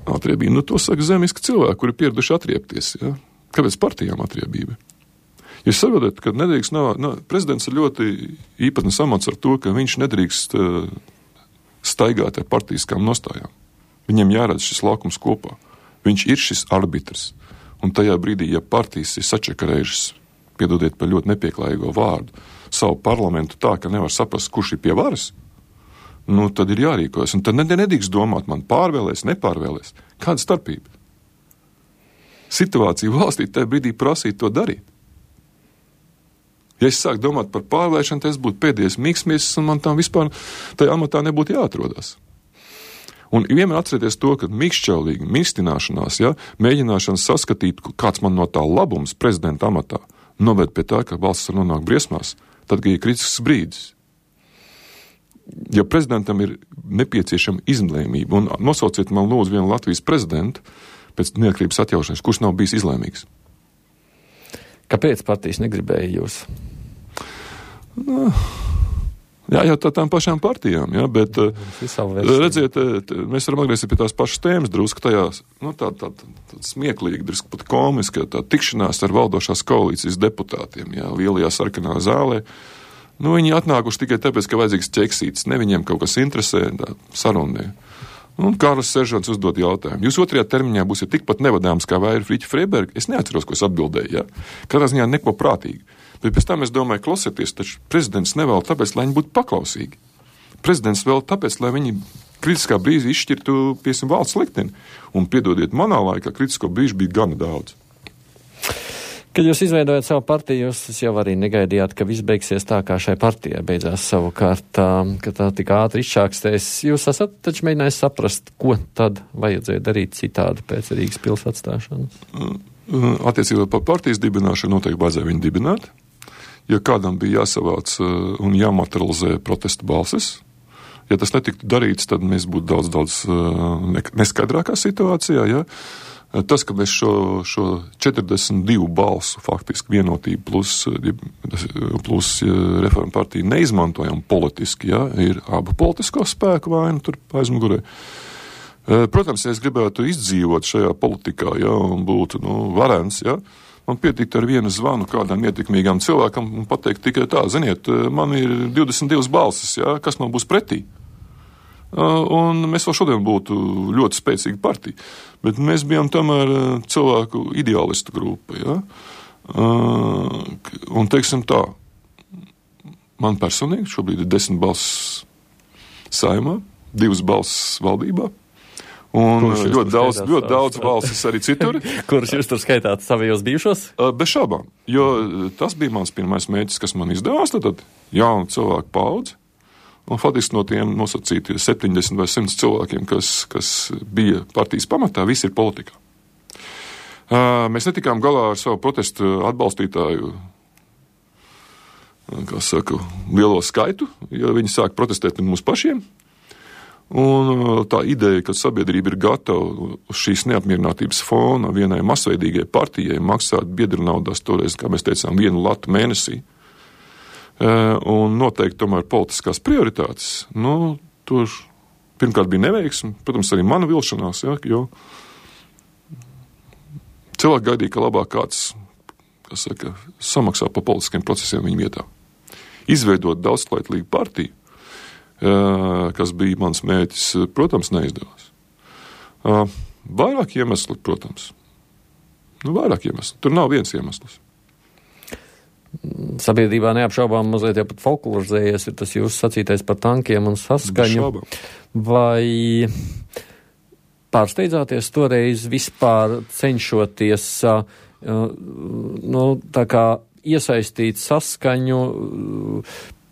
Atriebība, to saka zemiski cilvēki, kuri pieraduši atriebties, ja? Kāpēc partijām atriebība? Jūs saprotat, ka nedrīkst prezidents ir ļoti īpatnes amats ar to, ka viņš nedrīkst staigāt ar partijiskām nostājām. Viņam jāredz šis laukums kopā. Viņš ir šis arbitrs. Un tajā brīdī, ja partijas ir sačakarējušas, piedodiet par ļoti nepieklājīgo vārdu, savu parlamentu tā, ka nevar saprast, kurš ir pie varas, tad ir jārīkojas. Un tad nedrīkst domāt, man pārvēlēs, nepārvēlēs. Kāda starpība? Situācija valstī tajā brīdī prasīt to darīt. Ja es sāku domāt par pārvēlēšanu, tad es būtu pēdējais mīksmies, un man tam vispār tajā amatā nebūtu jāatrodas. Un vienmēr atcerieties to, ka mīkšķaulīgi, mīkstināšanās, mēģināšanas saskatīt, kāds man no tā labums prezidenta amatā, noved pie tā, ka valsts var nonākt briesmās, tad, kad ir kritisks brīdis. Ja prezidentam ir nepieciešama izlēmība, un nosauciet man lūdzu vienu Latvijas prezidentu pēc neatkarības atjaušanas, kurš nav bijis izlēmīgs. Kāpēc partijas negribēja jūs? Jā, tā tām pašām partijām, bet redziet, mēs varam atgriezties pie tās pašas tēmas drusku tajās, tā smieklīgi, drusku pat komiska, tā tikšanās ar valdošās koalīcijas deputātiem, lielajā sarkanā zālē. Viņi atnākuši tikai tāpēc, ka vajadzīgs ķeksītis, ne viņiem kaut kas interesē, sarunē. Un Kārlis Seržants uzdod jautājumu. Jūs otrajā termiņā būsiet tikpat nevadāms kā Vaira Friķa Freiberga? Es neatceros, ko es atbildēju, Katrā ziņā neko prātīgi. Bet pēc tam es domāju, klausieties, taču prezidents nevēl tāpēc, lai viņi būtu paklausīgi. Prezidents vēl tāpēc, lai viņi kritiskā brīdī izšķirtu, piesim, valsts likteni. Un piedodiet, manā laikā kritisko brīžu bija gana daudz. Kad jūs izveidojat savu partiju, jūs jau arī negaidījāt, ka viss beigsies tā, kā šai partijai beidzās savukārt, ka tā tik ātri izšķākstēs. Jūs esat taču mēģinājis saprast, ko tad vajadzēja darīt citādi pēc Rīgas pils atstāšanas? Attiecībā par partijas dibināšanu noteikti vajadzēja viņu dibināt. Ja kādam bija jāsavāc un jāmaterializē protesta balsis, ja tas netiktu darīts, tad mēs būtu daudz neskaidrākā situācijā, Tas, ka mēs šo 42 balsu faktiski vienotību plus reformu partiju neizmantojam politiski, ir abu politisko spēku vaina tur aizmugurē. Protams, ja es gribētu izdzīvot šajā politikā, un būtu, varens, man pietikt ar vienu zvanu kādam ietekmīgam cilvēkam un pateikt tikai tā, ziniet, man ir 22 balsis, kas man būs pretī. Un mēs vēl šodien būtu ļoti spēcīga partija, bet mēs bijām tomēr cilvēku ideālistu grupa, un teiksim tā, man personīgi šobrīd ir 10 balsis Saeimā, 2 balsis valdībā, un ļoti daudz balsis arī citur. Kurus jūs tur skaitāt savajos bijušos? Bez šaubām, jo tas bija mans pirmais mērķis, kas man izdevās, tad jaunu cilvēku paudzi. Un faktiski no tiem nosacīti 70 vai 100 cilvēkiem, kas bija partijas pamatā, visi ir politikā. Mēs netikām galā ar savu protestu atbalstītāju, lielo skaitu, jo viņi sāk protestēt pret mums pašiem. Un tā ideja, ka sabiedrība ir gatava uz šīs neapmierinātības fona vienai masveidīgai partijai maksāt biedru naudās toreiz, kā mēs teicām, 1 latu mēnesī, un noteikti tomēr politiskās prioritātes, tur pirmkārt bija neveiksme, protams, arī mana vilšanās, jo cilvēki gaidīja, ka labāk kāds, samaksā par politiskiem procesiem viņa vietā. Izveidot daudzskaitlīgu partiju, kas bija mans mērķis, protams, neizdevās. Vairāk iemesli, protams. Vairāk iemeslu. Tur nav viens iemesls. Sabiedrībā neapšaubām mazliet jau pat folklorizējies ir tas jūsu sacītais par tankiem un saskaņu. Vai pārsteidzāties toreiz vispār cenšoties tā kā iesaistīt saskaņu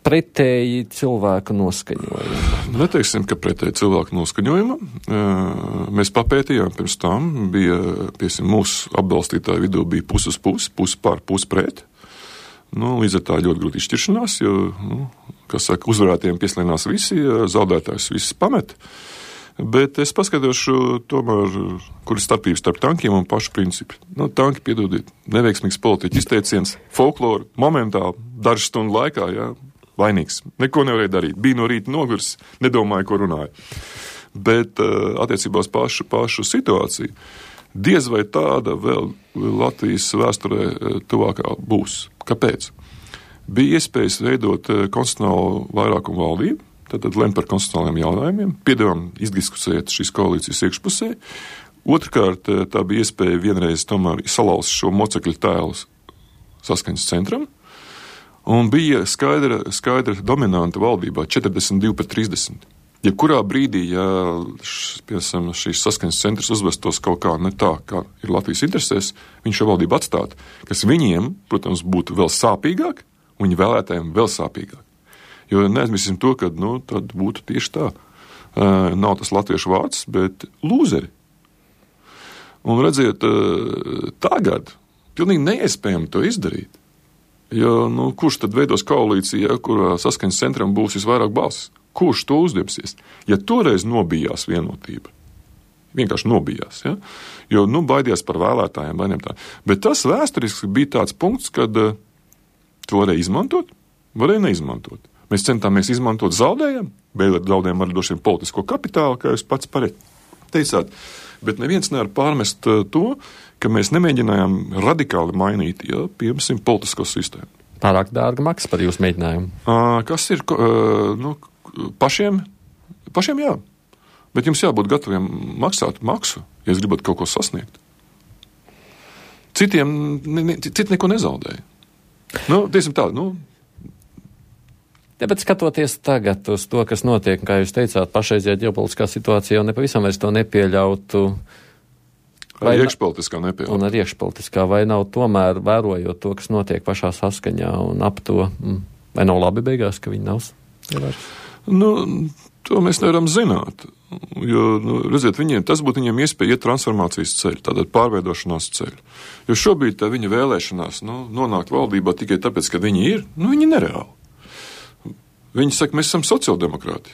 pretēji cilvēku noskaņojumu? Neteiksim, ka pretēji cilvēku noskaņojumu. Mēs papētījām pirms tam, mūsu atbalstītāju vidū bija pusi uz pusi, pusi pār, pusi pret. Līdz ar tā ļoti grūti izšķiršanās, jo, uzvarētiem pieslienās visi, zaudētājs viss pamet. Bet es paskatīšu tomēr, kur ir starpības starp tankiem un pašu principu. Tanki, piedodiet, neveiksmīgs politiķu izteiciens, folkloru, momentāli, dažu stundu laikā, vainīgs. Neko nevarēja darīt. Bija no rīta noguris, nedomāja, ko runāja. Bet attiecībā uz pašu situāciju, diez vai tāda vēl Latvijas vēsturē tuvākā būs. Kāpēc? Bija iespējas veidot konstitucionālu vairākumu valdību, tad lemt par konstitucionāliem jautājumiem, piedāvām izdiskusēt šīs koalīcijas iekšpusē. Otrkārt, tā bija iespēja vienreiz tomēr salauzt šo mocekļu tēlu saskaņas centram, un bija skaidra dominanta valdībā 42-30. Jebkurā brīdī, piemēram, šīs saskaņas centrs uzvestos kaut kā ne tā, kā ir Latvijas interesēs, viņš šo valdību atstātu, kas viņiem, protams, būtu vēl sāpīgāk, un viņa vēlētājiem vēl sāpīgāk. Jo neaizmirsīsim to, ka, tad būtu tieši tā. Nav tas latviešu vārds, bet lūzeri. Un redziet, tagad pilnīgi neiespējami to izdarīt. Jo, kurš tad veidos koalīciju, kurā saskaņas centram būs visvairāk balsis? Kurš to uzņemsies? Ja toreiz nobijās vienotība, vienkārši nobijās, jo, baidījās par vēlētājiem, bet tas vēsturiski bija tāds punkts, kad to varēja izmantot, varēja neizmantot. Mēs centāmies izmantot zaudējumu, bet zaudējām arī droši vien politisko kapitālu, kā jūs pats teicāt, bet neviens nevar pārmest to, ka mēs nemēģinājām radikāli mainīt, piemēram, politisko sistēmu. Pārāk dārga maksa par jūsu mēģinājumu. Kas ir, pašiem jā, bet jums jābūt gataviem maksāt maksu, ja jūs gribat kaut ko sasniegt. Citi neko nezaudēja. Tiesim tā, Bet skatoties tagad uz to, kas notiek, kā jūs teicāt, pašreizajā ģeopolitiskā situācijā jau nepavisam vairs to nepieļautu. Arī iekšpolitiskā nepieļautu. Un arī iekšpolitiskā, vai nav tomēr vērojot to, kas notiek pašā saskaņā un ap to, vai nav labi beigās, ka viņi nav ievērst? To mēs nevaram zināt, jo, redziet, tas būtu viņiem iespēja iet transformācijas ceļu, tātad pārveidošanās ceļu. Jo šobrīd tā viņa vēlēšanās, nonākt valdībā tikai tāpēc, ka viņi ir, viņi nereāli. Viņi saka, mēs esam sociāldemokrāti.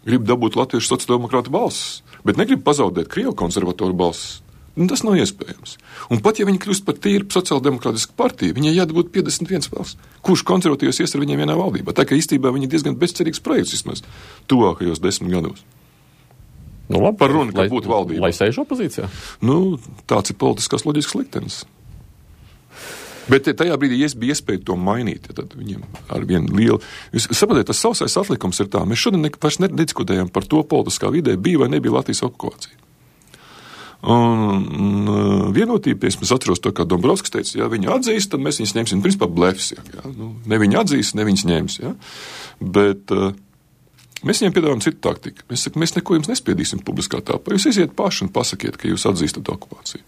Grib dabūt latviešu sociāldemokrātu balsis, bet negrib pazaudēt krievu konservatoru balsis. Tas nav iespējams. Un pat ja viņi kļūst par tīru sociāldemokrātisku partiju, viņai jādabūt 51 balsis. Kurš konservatīvs ies ar viņiem vienā valdībā? Tā kā īstībā viņi diezgan bezcerīgs projekts vismaz tuvākajos 10 gados. Labi, par runu, ka būtu valdība. Lai sēž opozīcijā? Tāds ir politiskās loģiskas liktenis. Bet tajā brīdī bija iespēja to mainīt, tad viņiem ar vienu lielu... Jūs saprotiet, tas sausais atlikums ir tā. Mēs šodien vairs nediskutējam par to politiskā vidē, bija vai nebija Latvijas okupācija. Un vienotība, es atceros to, kā Dombrovskis teica, ja viņi atzīst, tad mēs viņus ņemsim, principā blefs, ne viņi atzīst, ne viņus ņems, Bet mēs viņiem piedāvājam citu taktiku. Mēs neko jums nespiedīsim publiskā tāpā. Jūs iziet paši un pasakiet, ka jūs atzīstat okupāciju.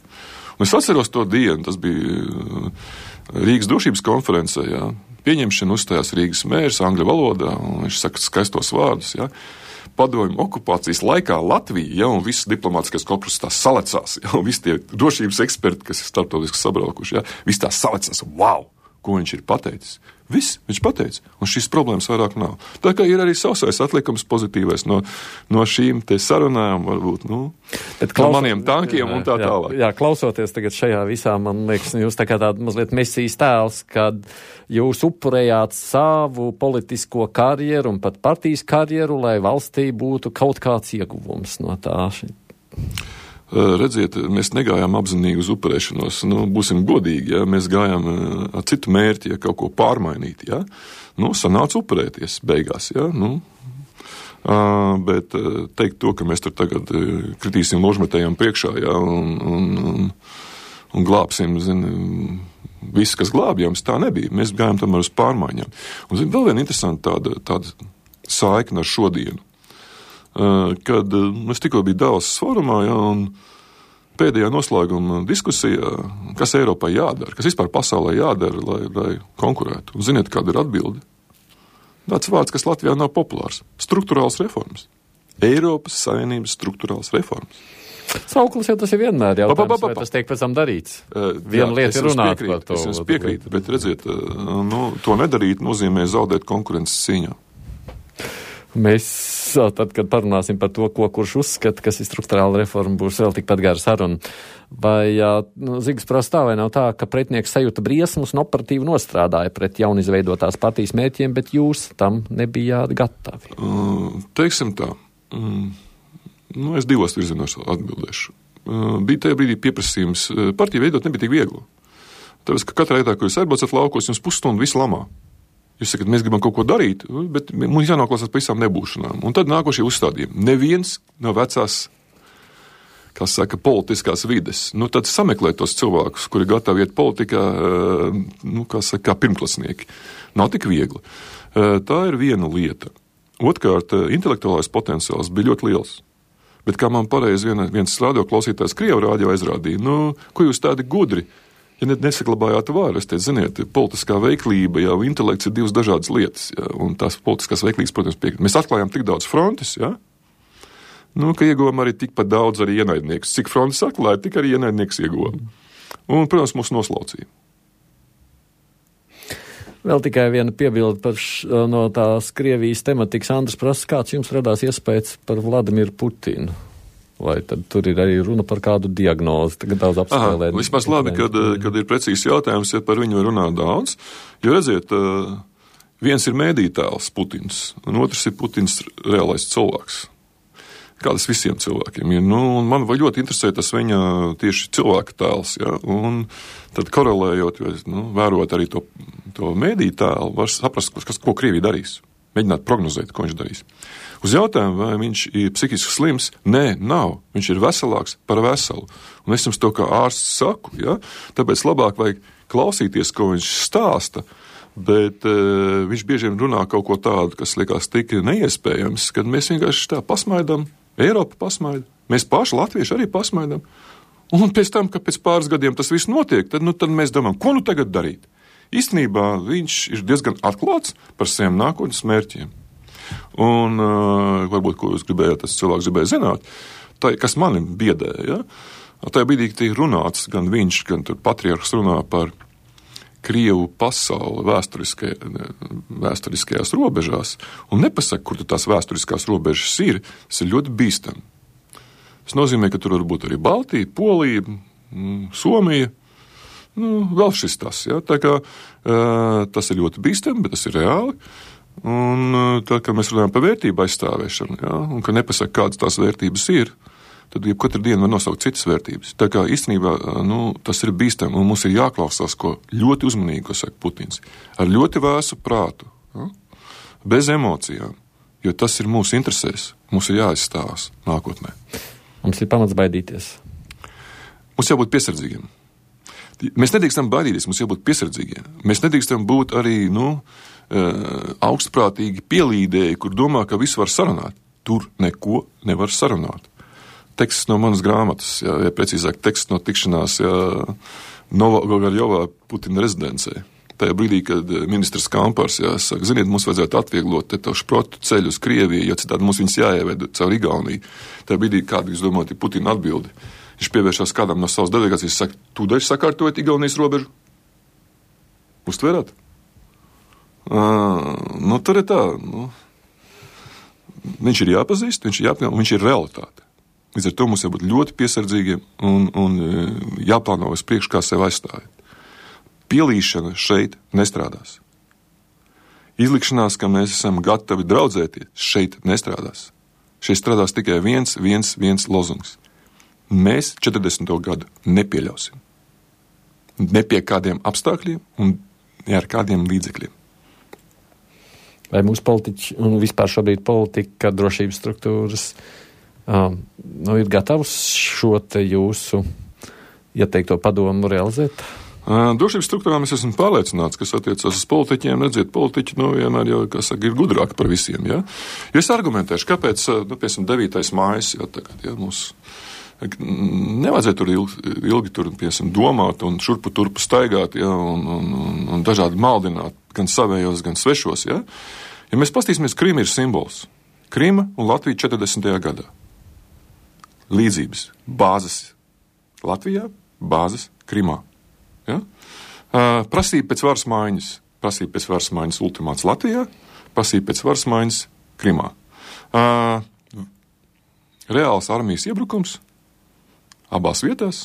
Un es atceros to dienu, tas bija Rīgas drošības konferencē, pieņemšana uzstājās Rīgas mērs angļu valodā, un viņš saka skaistos vārdus, Padomju okupācijas laikā Latvija, un visas diplomātiskās korpuses tās salecās, un visi tie drošības eksperti, kas ir starptautiski sabraukuši, visi tās salecās, wow, ko viņš ir pateicis. Viss viņš pateica, un šīs problēmas vairāk nav. Tā kā ir arī sausais atlikums pozitīvais no šīm te sarunām, varbūt, no maniem tankiem un tā tālāk. Jā, klausoties tagad šajā visā, man liekas, jūs tā kā tāda mazliet mesijas tēls, kad jūs upurējāt savu politisko karjeru un pat partijas karjeru, lai valstī būtu kaut kāds ieguvums no tā. Redziet, mēs negājām apzinīgi uz upurēšanos, būsim godīgi, mēs gājām ar citu mērķi, kaut ko pārmainīt, sanāca upurēties beigās, bet teikt to, ka mēs tur tagad kritīsim ložmetējiem priekšā, un glābsim, viss, kas glābjams, tā nebija. Mēs gājām tomēr uz pārmaiņām. Un, vēl viena interesanta tāda saikna ar šodienu. Kad es tikko biju Davosas forumā, un pēdējā noslēguma diskusijā, kas Eiropai jādara, kas vispār pasaulē jādara, lai konkurētu. Un ziniet, kāda ir atbilde? Tāds vārds, kas Latvijā nav populārs. Strukturāls reformas. Eiropas Savienības strukturāls reformas. Sauklis jau tas ir vienmēr jautājums, vai tas tiek pēc tam darīts. Viena lieta ir runāt par to. Es jums piekrītu, bet redziet, to nedarīt nozīmē zaudēt konkurences cīņā. Mēs, tad, kad parunāsim par to, kurš uzskata, kas ir strukturāla reforma, būs vēl tikpat gara saruna. Vai Zigas prasa tā, vai nav tā, ka pretinieks sajūta briesmas un operatīvi nostrādāja pret jaunizveidotās partijas mērķiem, bet jūs tam nebijāt gatavi? Teiksim tā. Es divos virzienos atbildēšu. Bija tajā brīdī pieprasījums. Partiju veidot nebija tik viegli. Tāpēc, ka katrā vietā, ko jūs aizbraucat laukos, jums pusstundu visu lamā. Jūs sakat, mēs gribam kaut ko darīt, bet mums jānoklausās par visām nebūšanām. Un tad nākošie uzstādījumi. Neviens no vecās, kā saka, politiskās vides. Tad sameklē tos cilvēkus, kuri gatavi iet politikā, kā pirmklasnieki. Nav tik viegli. Tā ir viena lieta. Otkārt, intelektuālais potenciāls bija ļoti liels. Bet kā man pareizi viens radioklausītājs Krievu rādio aizrādīja, ko jūs tādi gudri, ja nesaglabājāt vāru, es teicu, ziniet, politiskā veiklība, jau intelekts ir divas dažādas lietas, un tās politiskās veiklības, protams, piekrīt. Mēs atklājām tik daudz frontes, ka ieguvām arī tikpat daudz arī ienaidnieks. Cik frontes atklāja, tik arī ienaidnieks ieguvām. Un, protams, mūs noslaucīja. Vēl tikai viena piebilde no tās Krievijas tematikas. Andris prasa, kāds jums radās iespējas par Vladimiru Putinu? Vai tad tur ir arī runa par kādu diagnozi? Tagad daudz apspēlēt. Vismaz labi, kad ir precīzs jautājums, ja par viņu runā daudz. Jo redziet, viens ir mēdītēls Putins, un otrs ir Putins reālais cilvēks. Kā tas visiem cilvēkiem ir. Un man ļoti interesē tas viņa tieši cilvēka tēls. Un tad korelējot, vērot arī to mēdītēlu, var saprast, ko Krievija darīs. Mēģināt prognozēt, ko viņš darīs. Uz jautājumu, vai viņš ir psihiski slims, nē, nav. Viņš ir veselāks par veselu. Un es jums to kā ārsts saku, tāpēc labāk vajag klausīties, ko viņš stāsta, bet viņš bieži vien runā kaut ko tādu, kas liekas tik neiespējams, kad mēs vienkārši tā pasmaidām, Eiropa pasmaida, mēs paši latvieši arī pasmaidām. Un pēc tam, ka pēc pāris gadiem tas viss notiek, tad mēs domājam, ko tagad darīt? Īstenībā viņš ir diezgan atklāts par saviem nākotnes mērķiem. Un varbūt, ko jūs gribējāt, tas cilvēks gribēja zināt, kas mani biedēja. Tajā brīdī tiek runāts, gan viņš, gan patriarhs runā par Krievu pasauli vēsturiskajās robežās un nepasaka, kur tās vēsturiskās robežas ir, tas ir ļoti bīstami. Tas nozīmē, ka tur var būt arī Baltija, Polija, Somija, vēl šis tas. Tā kā tas ir ļoti bīstami, bet tas ir reāli. Un tā, kad mēs runājam par vērtību aizstāvēšanu, un ka nepasaka, kādas tās vērtības ir, tad katru dienu var nosaukt citas vērtības. Tā kā īstenībā tas ir bīstami, un mums ir jāklausās, ko ļoti uzmanīgi, ko saka Putins. Ar ļoti vēsu prātu, bez emocijām, jo tas ir mūsu interesēs. Mums ir jāizstāvās nākotnē. Mums ir pamats baidīties. Mums jābūt piesardzīgiem. Mēs nedrīkstam baidīties, mums jābūt piesardzīgiem. Mēs nedrīkstam būt arī, augstprātīgi pielīdēji, kur domā, ka visu var sarunāt. Tur neko nevar sarunāt. Teksts no manas grāmatas, ja precīzāk teksts no tikšanās Novogogarjovā Putina rezidencē. Tajā brīdī, kad ministrs Kampars saka, ziniet, mums vajadzētu atvieglot to šprotu ceļu uz Krieviju, jo citādi mums viņus jāieved caur Igauniju. Tajā brīdī, kādu jūs domājat, ir Putina atbildi. Viņš pievēršās kādam no savas delegācijas, saka, tūdaļ sakārtojot Igaunijas robežu. Uztverāt? Tur ir tā. Viņš ir jāpazīst, viņš ir realitāte. Līdz ar to mums jābūt ļoti piesardzīgiem un jāplāno uz priekšu, kā sev aizstāvēt. Pielīšana šeit nestrādās. Izlikšanās, ka mēs esam gatavi draudzēties, šeit nestrādās. Šeit strādās tikai viens lozungs. Mēs 40. gadu nepieļausim. Ne pie kādiem apstākļiem un ne ar kādiem līdzekļiem. Vai mūsu politiķi un vispār šobrīd politika, drošības struktūras ir gatavs šo te jūsu ieteikto padomu realizēt? Drošības struktūrām es esmu pārliecināts, kas attiecas uz politiķiem. Redziet, politiķi, vienmēr jau, kā saka, ir gudrāki par visiem, ja? Jo es argumentēšu, kāpēc, piemēram, 9. mājas, ja, tagad, ja, mums nevajadzētu tur ilgi tur, piemēram, domāt un šurpu turpu staigāt, ja, un dažādi maldināt, gan savējos, gan svešos, ja? Ja mēs pastīsimies, Krima ir simbols. Krima un Latvija 40. gadā. Līdzības. Bāzes Latvijā, bāzes Krimā. Ja? Prasība pēc varas maiņas. Prasība pēc varas maiņas ultimāts Latvijā, prasība pēc varas maiņas Krimā. Reāls armijas iebrukums abās vietās,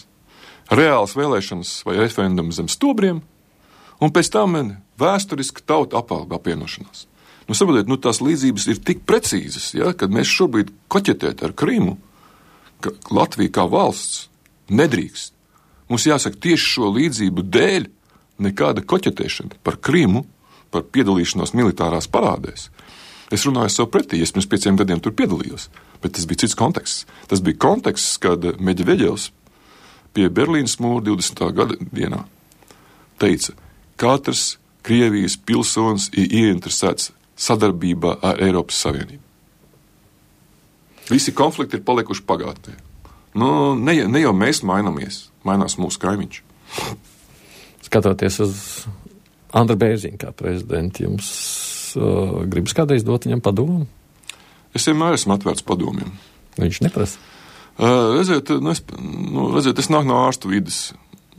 reāls vēlēšanas vai referendums zem stobriem, un pēc tam vēsturiski tauta apvienošanās. Saprotiet, tās līdzības ir tik precīzas, ja, kad mēs šobrīd koķetēt ar Krimu, ka Latvija kā valsts nedrīkst. Mums jāsaka tieši šo līdzību dēļ nekāda koķetēšana par Krimu, par piedalīšanos militārās parādēs. Es runāju sev pretī, es pirms 5 gadiem tur piedalījos, bet tas bija cits konteksts. Tas bija konteksts, kad Medveģevs pie Berlīnas mūra 20. gada dienā teica, katrs Krievijas pilsonis ir ieinteresēts sadarbībā ar Eiropas Savienību. Visi konflikti ir palikuši pagātnē. Ne jau mēs mainamies, mainās mūsu kaimiņš. Skatoties uz Andru Bērziņu kā prezidentu, jums gribas kādreiz dot viņam padomu? Es vienmēr esmu atvērts padomiem. Viņš neprasa? Redziet, es nāku no ārstu vides.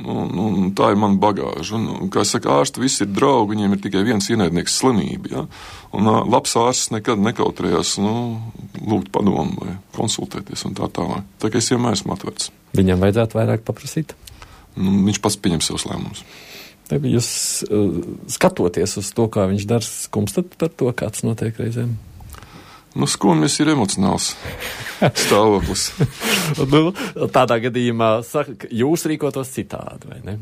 Tā ir mana bagāža. Kā saka, ārsti visi ir draugi, viņiem ir tikai viens ienaidnieks slimība. Ja? Un labs ārsts nekad nekautrējās lūgt padomu vai konsultēties un tā tālāk. Tā kā es vienmēr esmu atvērts. Viņam vajadzētu vairāk paprasīt? Viņš pats pieņem savus lēmumus. Jūs skatoties uz to, kā viņš dara, skumstat par to, kāds notiek reizēm? Skumjas ir emocionāls stāvoklis. Tādā gadījumā saka, jūs rīkotos citādi, vai ne?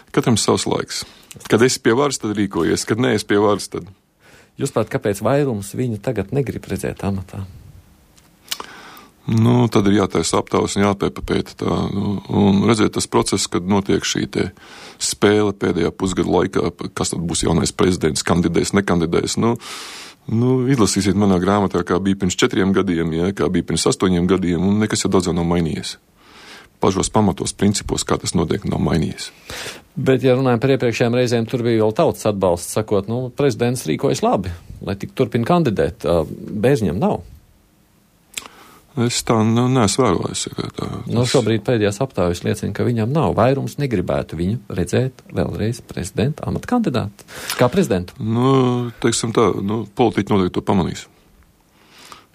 Katram savs laiks. Kad esi pie varas, tad rīkojies. Kad neesi pie varas, tad... Jūs prāt, kāpēc vairums viņu tagad negrib redzēt amatā? Tad ir jātaisa aptaujas un jāpēta tā. Un redziet, tas process, kad notiek šī te spēle pēdējā pusgada laikā, kas tad būs jaunais prezidents, kandidēs, nekandidēs, izlasīsiet manā grāmatā, kā bija pirms 4 gadiem, ja, kā bija pirms 8 gadiem, un nekas jau daudz nav mainījies. Pašos pamatos, principos, kā tas notiek, nav mainījies. Bet, ja runājam par iepriekšējām reizēm, tur bija vēl tautas atbalsts, sakot, prezidents rīkojas labi, lai tik turpina kandidēt. Bērziņam nav. Es tā neesmu vērojis. Šobrīd pēdējās aptaujas liecina, ka viņam nav. Vairums negribētu viņu redzēt vēlreiz prezidenta amata kandidātu. Kā prezidentu? Teiksim tā, politiķi noteikti to pamanīs.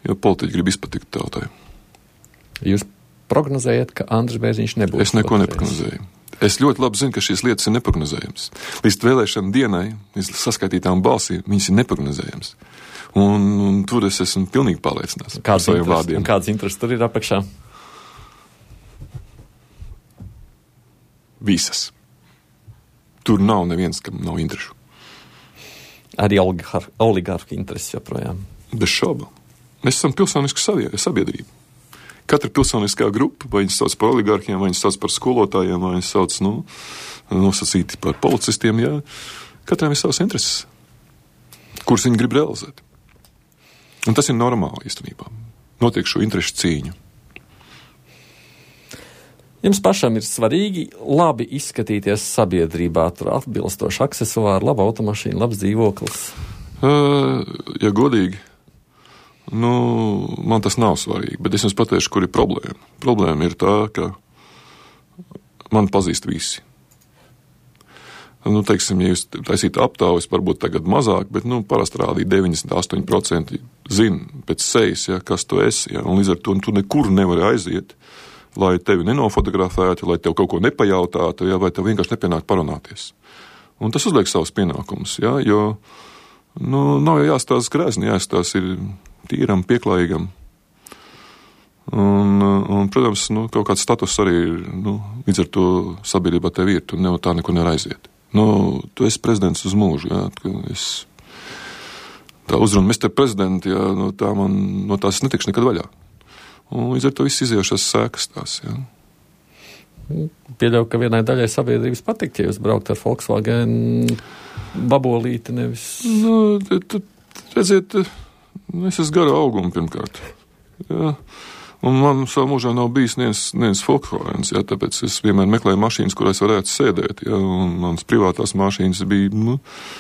Jo politiķi grib izpatikt tautai. Jūs prognozējat, ka Andris Bērziņš nebūs? Es neko neprognozēju. Es ļoti labi zinu, ka šīs lietas ir neprognozējamas. Līdz vēlēšana dienai, līdz saskaitītām balsīm, viņas ir neprognozējamas. Un tur es esmu pilnīgi pārliecināts par saviem vārdiem. Kāds intereses tur ir apakšā? Visas. Tur nav neviens, kam nav interešu. Arī oligarhu intereses joprojām. Bez šaubu. Mēs esam pilsoniska sabiedrība. Katra pilsoniskā grupa, vai viņas sauc par oligarhiem, vai viņas sauc par skolotājiem, vai viņas sauc, nosacīti par policistiem, jā. Katram ir savas intereses, kuras viņi grib realizēt. Un tas ir normāli īstenībā. Notiek šo interešu cīņu. Jums pašam ir svarīgi labi izskatīties sabiedrībā, tur atbilstoši aksesuāri, laba automašīna, labs dzīvoklis. Ja godīgi, man tas nav svarīgi, bet es jums pateikšu, kur ir problēma. Problēma ir tā, ka man pazīst visi. Teiksim, ja jūs taisītu aptaujas, varbūt tagad mazāk, bet, parasti rādīja 98% zina pēc sejas, ja, kas tu esi, ja, un līdz ar to tu nekur nevari aiziet, lai tevi nenofotografētu, lai tev kaut ko nepajautātu, ja, vai tev vienkārši nepienāk parunāties. Un tas uzliek savus pienākumus, ja, jo, nav jau jāstāsta grēzni, jāstāsta ir tīram, pieklājīgam. Un protams, kaut kāds status arī ir, līdz ar to sabiedrībā tev ir, tu tā neko neaiziet. Tu esi prezidents uz mūžu, jā, tā uzruna Mr. Prezidenti, jā, no tās netikšu nekad vaļā. Un līdz ar to viss iziejušās sēkas tās, jā. Pieļauju, ka vienai daļai sabiedrības patikt, ja jūs braukt ar Volkswagen babolīti, nevis... Nu, redziet, es esmu gara auguma pirmkārt. Jā. Un man savā mūžā nav bijis neviens Volkswagens, jā, tāpēc es vienmēr meklēju mašīnas, kurās varētu sēdēt, jā, un manas privātās mašīnas bija,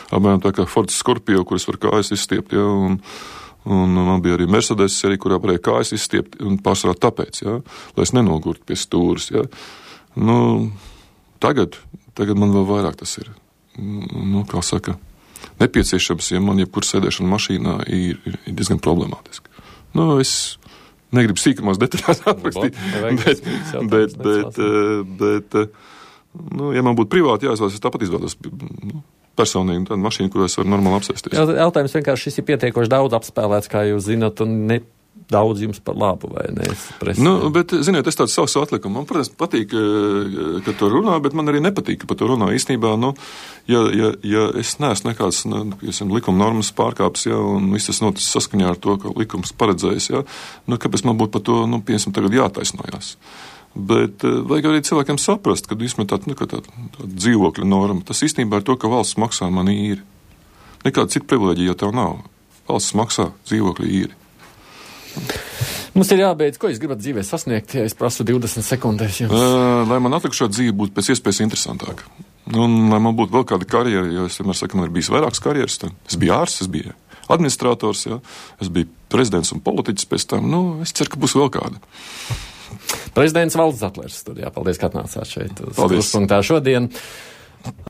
apmēram tā kā Ford Scorpio, kuras var kājas izstiept, jā, un man bija arī Mercedes arī, kurā varēja kājas izstiept, un pārsvarā tāpēc, jā, lai es nenogurtu pie stūras, jā. Tagad man vēl vairāk tas ir, kā saka, nepieciešams, ja man jebkur sēdēšana mašīnā ir diezgan problemātiski. Es negribu sīkumās detaļās aprakstīt, bet ja man būtu privāti jāizvēlas, es tāpat izvēlos personīgi tādu mašīnu, kurā es varu normāli apsēsties. Jautājums vienkārši šis ir pietiekoši daudz apspēlēts, kā jūs zināt, un ne daudz jums par labu, vai ne? Bet, ziniet, es tāds savs atlikumu. Man, protams, patīk, ka to runā, bet man arī nepatīk, ka par to runā. Īstenībā, ja es neesmu nekāds, likuma normas pārkāps, ja, un viss tas noticis saskaņā ar to, ka likums paredzējis, ja, kāpēc man būtu par to, piemēram, tagad jātaisnojās. Bet vajag arī cilvēkiem saprast, ka vismaz tāda dzīvokļa norma, tas īstenībā ir to, ka valsts maksā man īri. Nekāda cita privileģija jau tev nav. Valsts maksā dzīvokļa īri. Mums ir jābeidz, ko jūs gribat dzīvē sasniegt, ja es prasu 20 sekundēs jums? Lai man atlikušā dzīve būtu pēc iespējas interesantāka. Un lai man būtu vēl kāda karjera, jo es vienmēr saku, man ir bijis vairākas karjeras. Es biju ārsts, es biju administrators, ja, es biju prezidents un politiķis pēc tam. Es ceru, ka būs vēl kāda. Prezidents Valdis Zatlers studijā. Paldies, ka atnācāt šeit uz Paldies. Krustpunktā šodien.